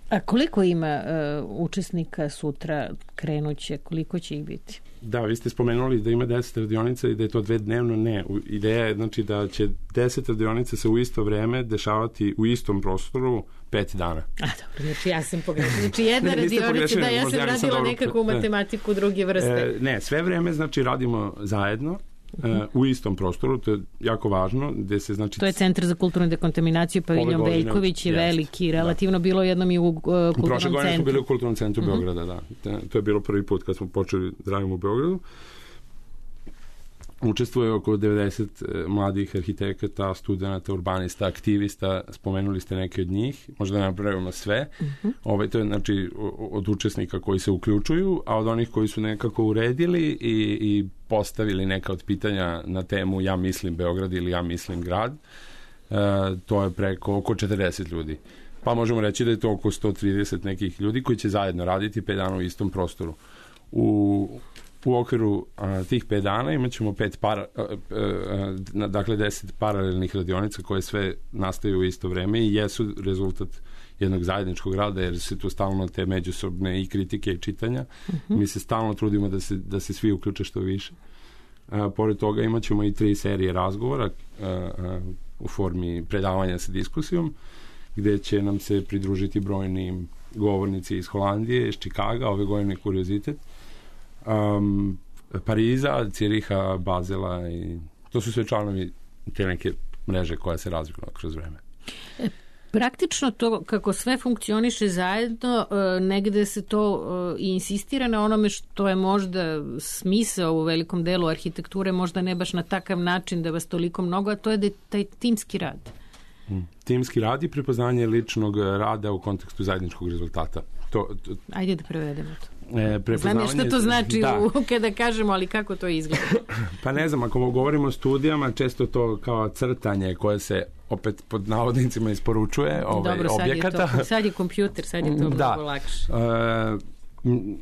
A koliko ima uh, učesnika sutra krenuće? Koliko će ih biti? Da, vi ste spomenuli da ima deset radionica i da je to dve dnevno. Ne, ideja je znači da će deset radionica se u isto vreme dešavati u istom prostoru pet dana. A dobro, znači ja sam pogrešila. Znači jedna ne, radionica, da ja sam ja radila dobro, nekakvu matematiku druge vrste. E, ne, sve vreme znači radimo zajedno. Uh, u istom prostoru, to je jako važno, gde se znači... To je Centar za kulturnu dekontaminaciju, Paviljon Veljković je veliki, relativno da. Bilo jednom i u uh, kulturnom centru. Prošle godine smo bili u kulturnom centru uh-huh. Beograda, da. To je bilo prvi put kad smo počeli da radimo u Beogradu. Učestvuje oko devedeset mladih arhitekata, studenta, urbanista, aktivista, spomenuli ste neke od njih, možda ne napravimo sve. Uh-huh. Ovaj, to je znači od učesnika koji se uključuju, a od onih koji su nekako uredili i, i postavili neka od pitanja na temu ja mislim Beograd ili ja mislim grad, e, to je preko oko četrdeset ljudi. Pa možemo reći da je to oko sto trideset nekih ljudi koji će zajedno raditi pet dana u istom prostoru. U U okviru a, tih pet dana imat ćemo pet para, a, a, a, dakle deset paralelnih radionica koje sve nastaju u isto vreme i jesu rezultat jednog zajedničkog rada, jer se tu stalno te međusobne i kritike i čitanja. Uh-huh. Mi se stalno trudimo da se, da se svi uključe što više. A, pored toga imat ćemo i tri serije razgovora a, a, u formi predavanja sa diskusijom, gde će nam se pridružiti brojni govornici iz Holandije, iz Čikaga, ove godine Kuriozitet, Um, Pariza, Ciriha, Bazela i to su sve članovi te neke mreže koja se razvila kroz vreme. E, praktično to kako sve funkcioniše zajedno, negde se to i insistira na onome što je možda smisao u velikom delu arhitekture, možda ne baš na takav način da vas toliko mnogo, a to je da je taj timski rad. Hmm. Timski rad i prepoznanje ličnog rada u kontekstu zajedničkog rezultata. To, to... Ajde da prevedemo to. E, znam ja što to znači da. u, kada kažemo, ali kako to izgleda? Pa ne znam, ako govorimo o studijama, često to kao crtanje koje se opet pod navodnicima isporučuje ovaj, Dobro, sad objekata. Je to, sad je kompjuter, sad je to da. mnogo lakše. E,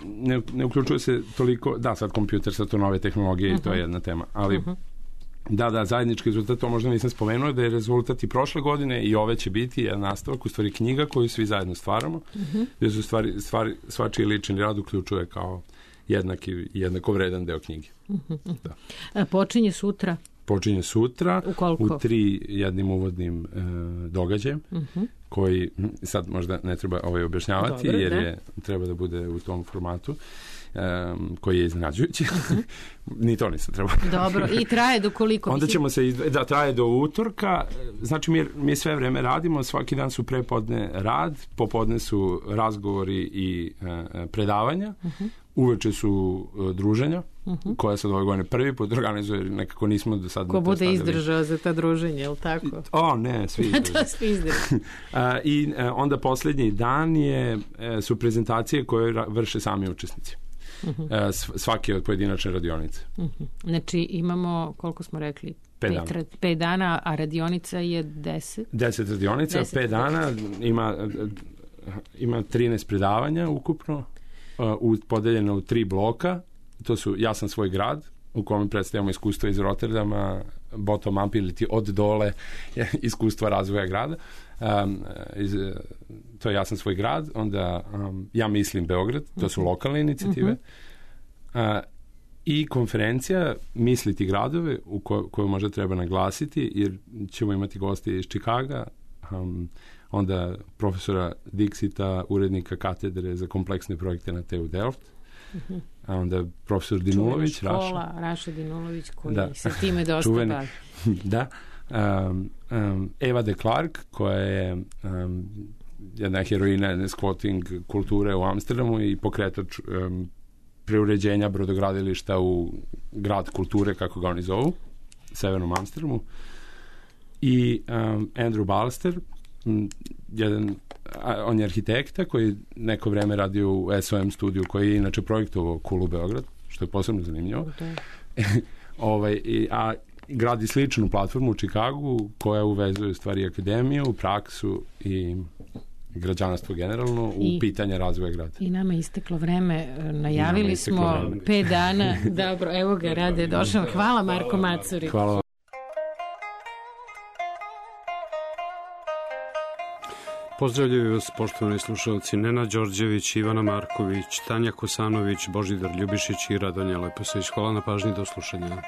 ne, ne uključuje se toliko, da, sad kompjuter, sad to nove tehnologije uh-huh. i to je jedna tema, ali uh-huh. Da, da, zajednički rezultat, to možda nisam spomenuo, da je rezultat i prošle godine i ove će biti jedan nastavak, u stvari knjiga koju svi zajedno stvaramo, uh-huh. gdje su stvari, stvari, svačiji lični rad uključuje kao jednaki, jednako vredan deo knjige. Uh-huh. Da. A počinje sutra? Počinje sutra u, u tri jednim uvodnim e, događajem, uh-huh. koji sad možda ne treba ovaj objašnjavati, Dobre, jer je, treba da bude u tom formatu. Um, koji je iznenađujući. Ni to nisam trebao. Dobro, i traje do koliko? Onda ćemo se, izdve... da, traje do utorka. Znači, mi, mi sve vreme radimo, svaki dan su prepodne rad, popodne su razgovori i uh, predavanja, uh-huh. uveče su uh, druženja, uh-huh. koja sad ove godine prvi put organizuje, nekako nismo do sad... Ko bude izdržao za ta druženja, je li tako? O, ne, svi izdržao. svi izdržao. uh, I uh, onda posljednji dan je, uh, su prezentacije koje ra- vrše sami učesnici. Uh-huh. Uh, svake od pojedinačne radionice. Uh-huh. Znači imamo, koliko smo rekli? Pet dana. Pet, pet dana, a radionica je deset? Deset radionica, deset pet dana, ima, ima trinaest predavanja ukupno, uh, podeljeno u tri bloka. To su Ja sam svoj grad, u kome predstavljamo iskustvo iz Rotterdama, bottom up ili ti od dole iskustva razvoja grada. Um, iz, to je Ja sam svoj grad, onda um, Ja mislim Beograd, to su lokalne inicijative. Uh, I konferencija Misliti gradove, u ko, koju možda treba naglasiti, jer ćemo imati goste iz Čikaga, um, onda profesora Dixita, urednika katedre za kompleksne projekte na T U Delft, uh-huh. a onda profesor Dinulović, škola, Raša. Raša Dinulović, koji da. se time dosta Čuveni. bavi. Da. Um, um, Eva de Klerk, koja je um, jedna heroina squatting kulture u Amsterdamu i pokretač um, preuređenja brodogradilišta u grad kulture, kako ga oni zovu, severnom Amsterdamu. I um, Andrew Balster, m, jedan, a, on je arhitekta koji neko vreme radio u S O M studiju, koji je inače projektovao Kulu Beograd, što je posebno zanimljivo. ovaj, i, a gradi sličnu platformu u Čikagu koja uvezuje stvari akademiju, praksu i građanstvo generalno u I, pitanje razvoja grada. I nama je isteklo vreme, najavili smo vreme. pet dana. Dobro, evo ga, Rade, došao. Hvala Marko Macuri. Hvala vam. Pozdravljaju vas, poštovani slušalci, Nenad Đorđević, Ivana Marković, Tanja Kosanović, Božidar Ljubišić i Radonja Leposević. Hvala na pažnji, do slušanja.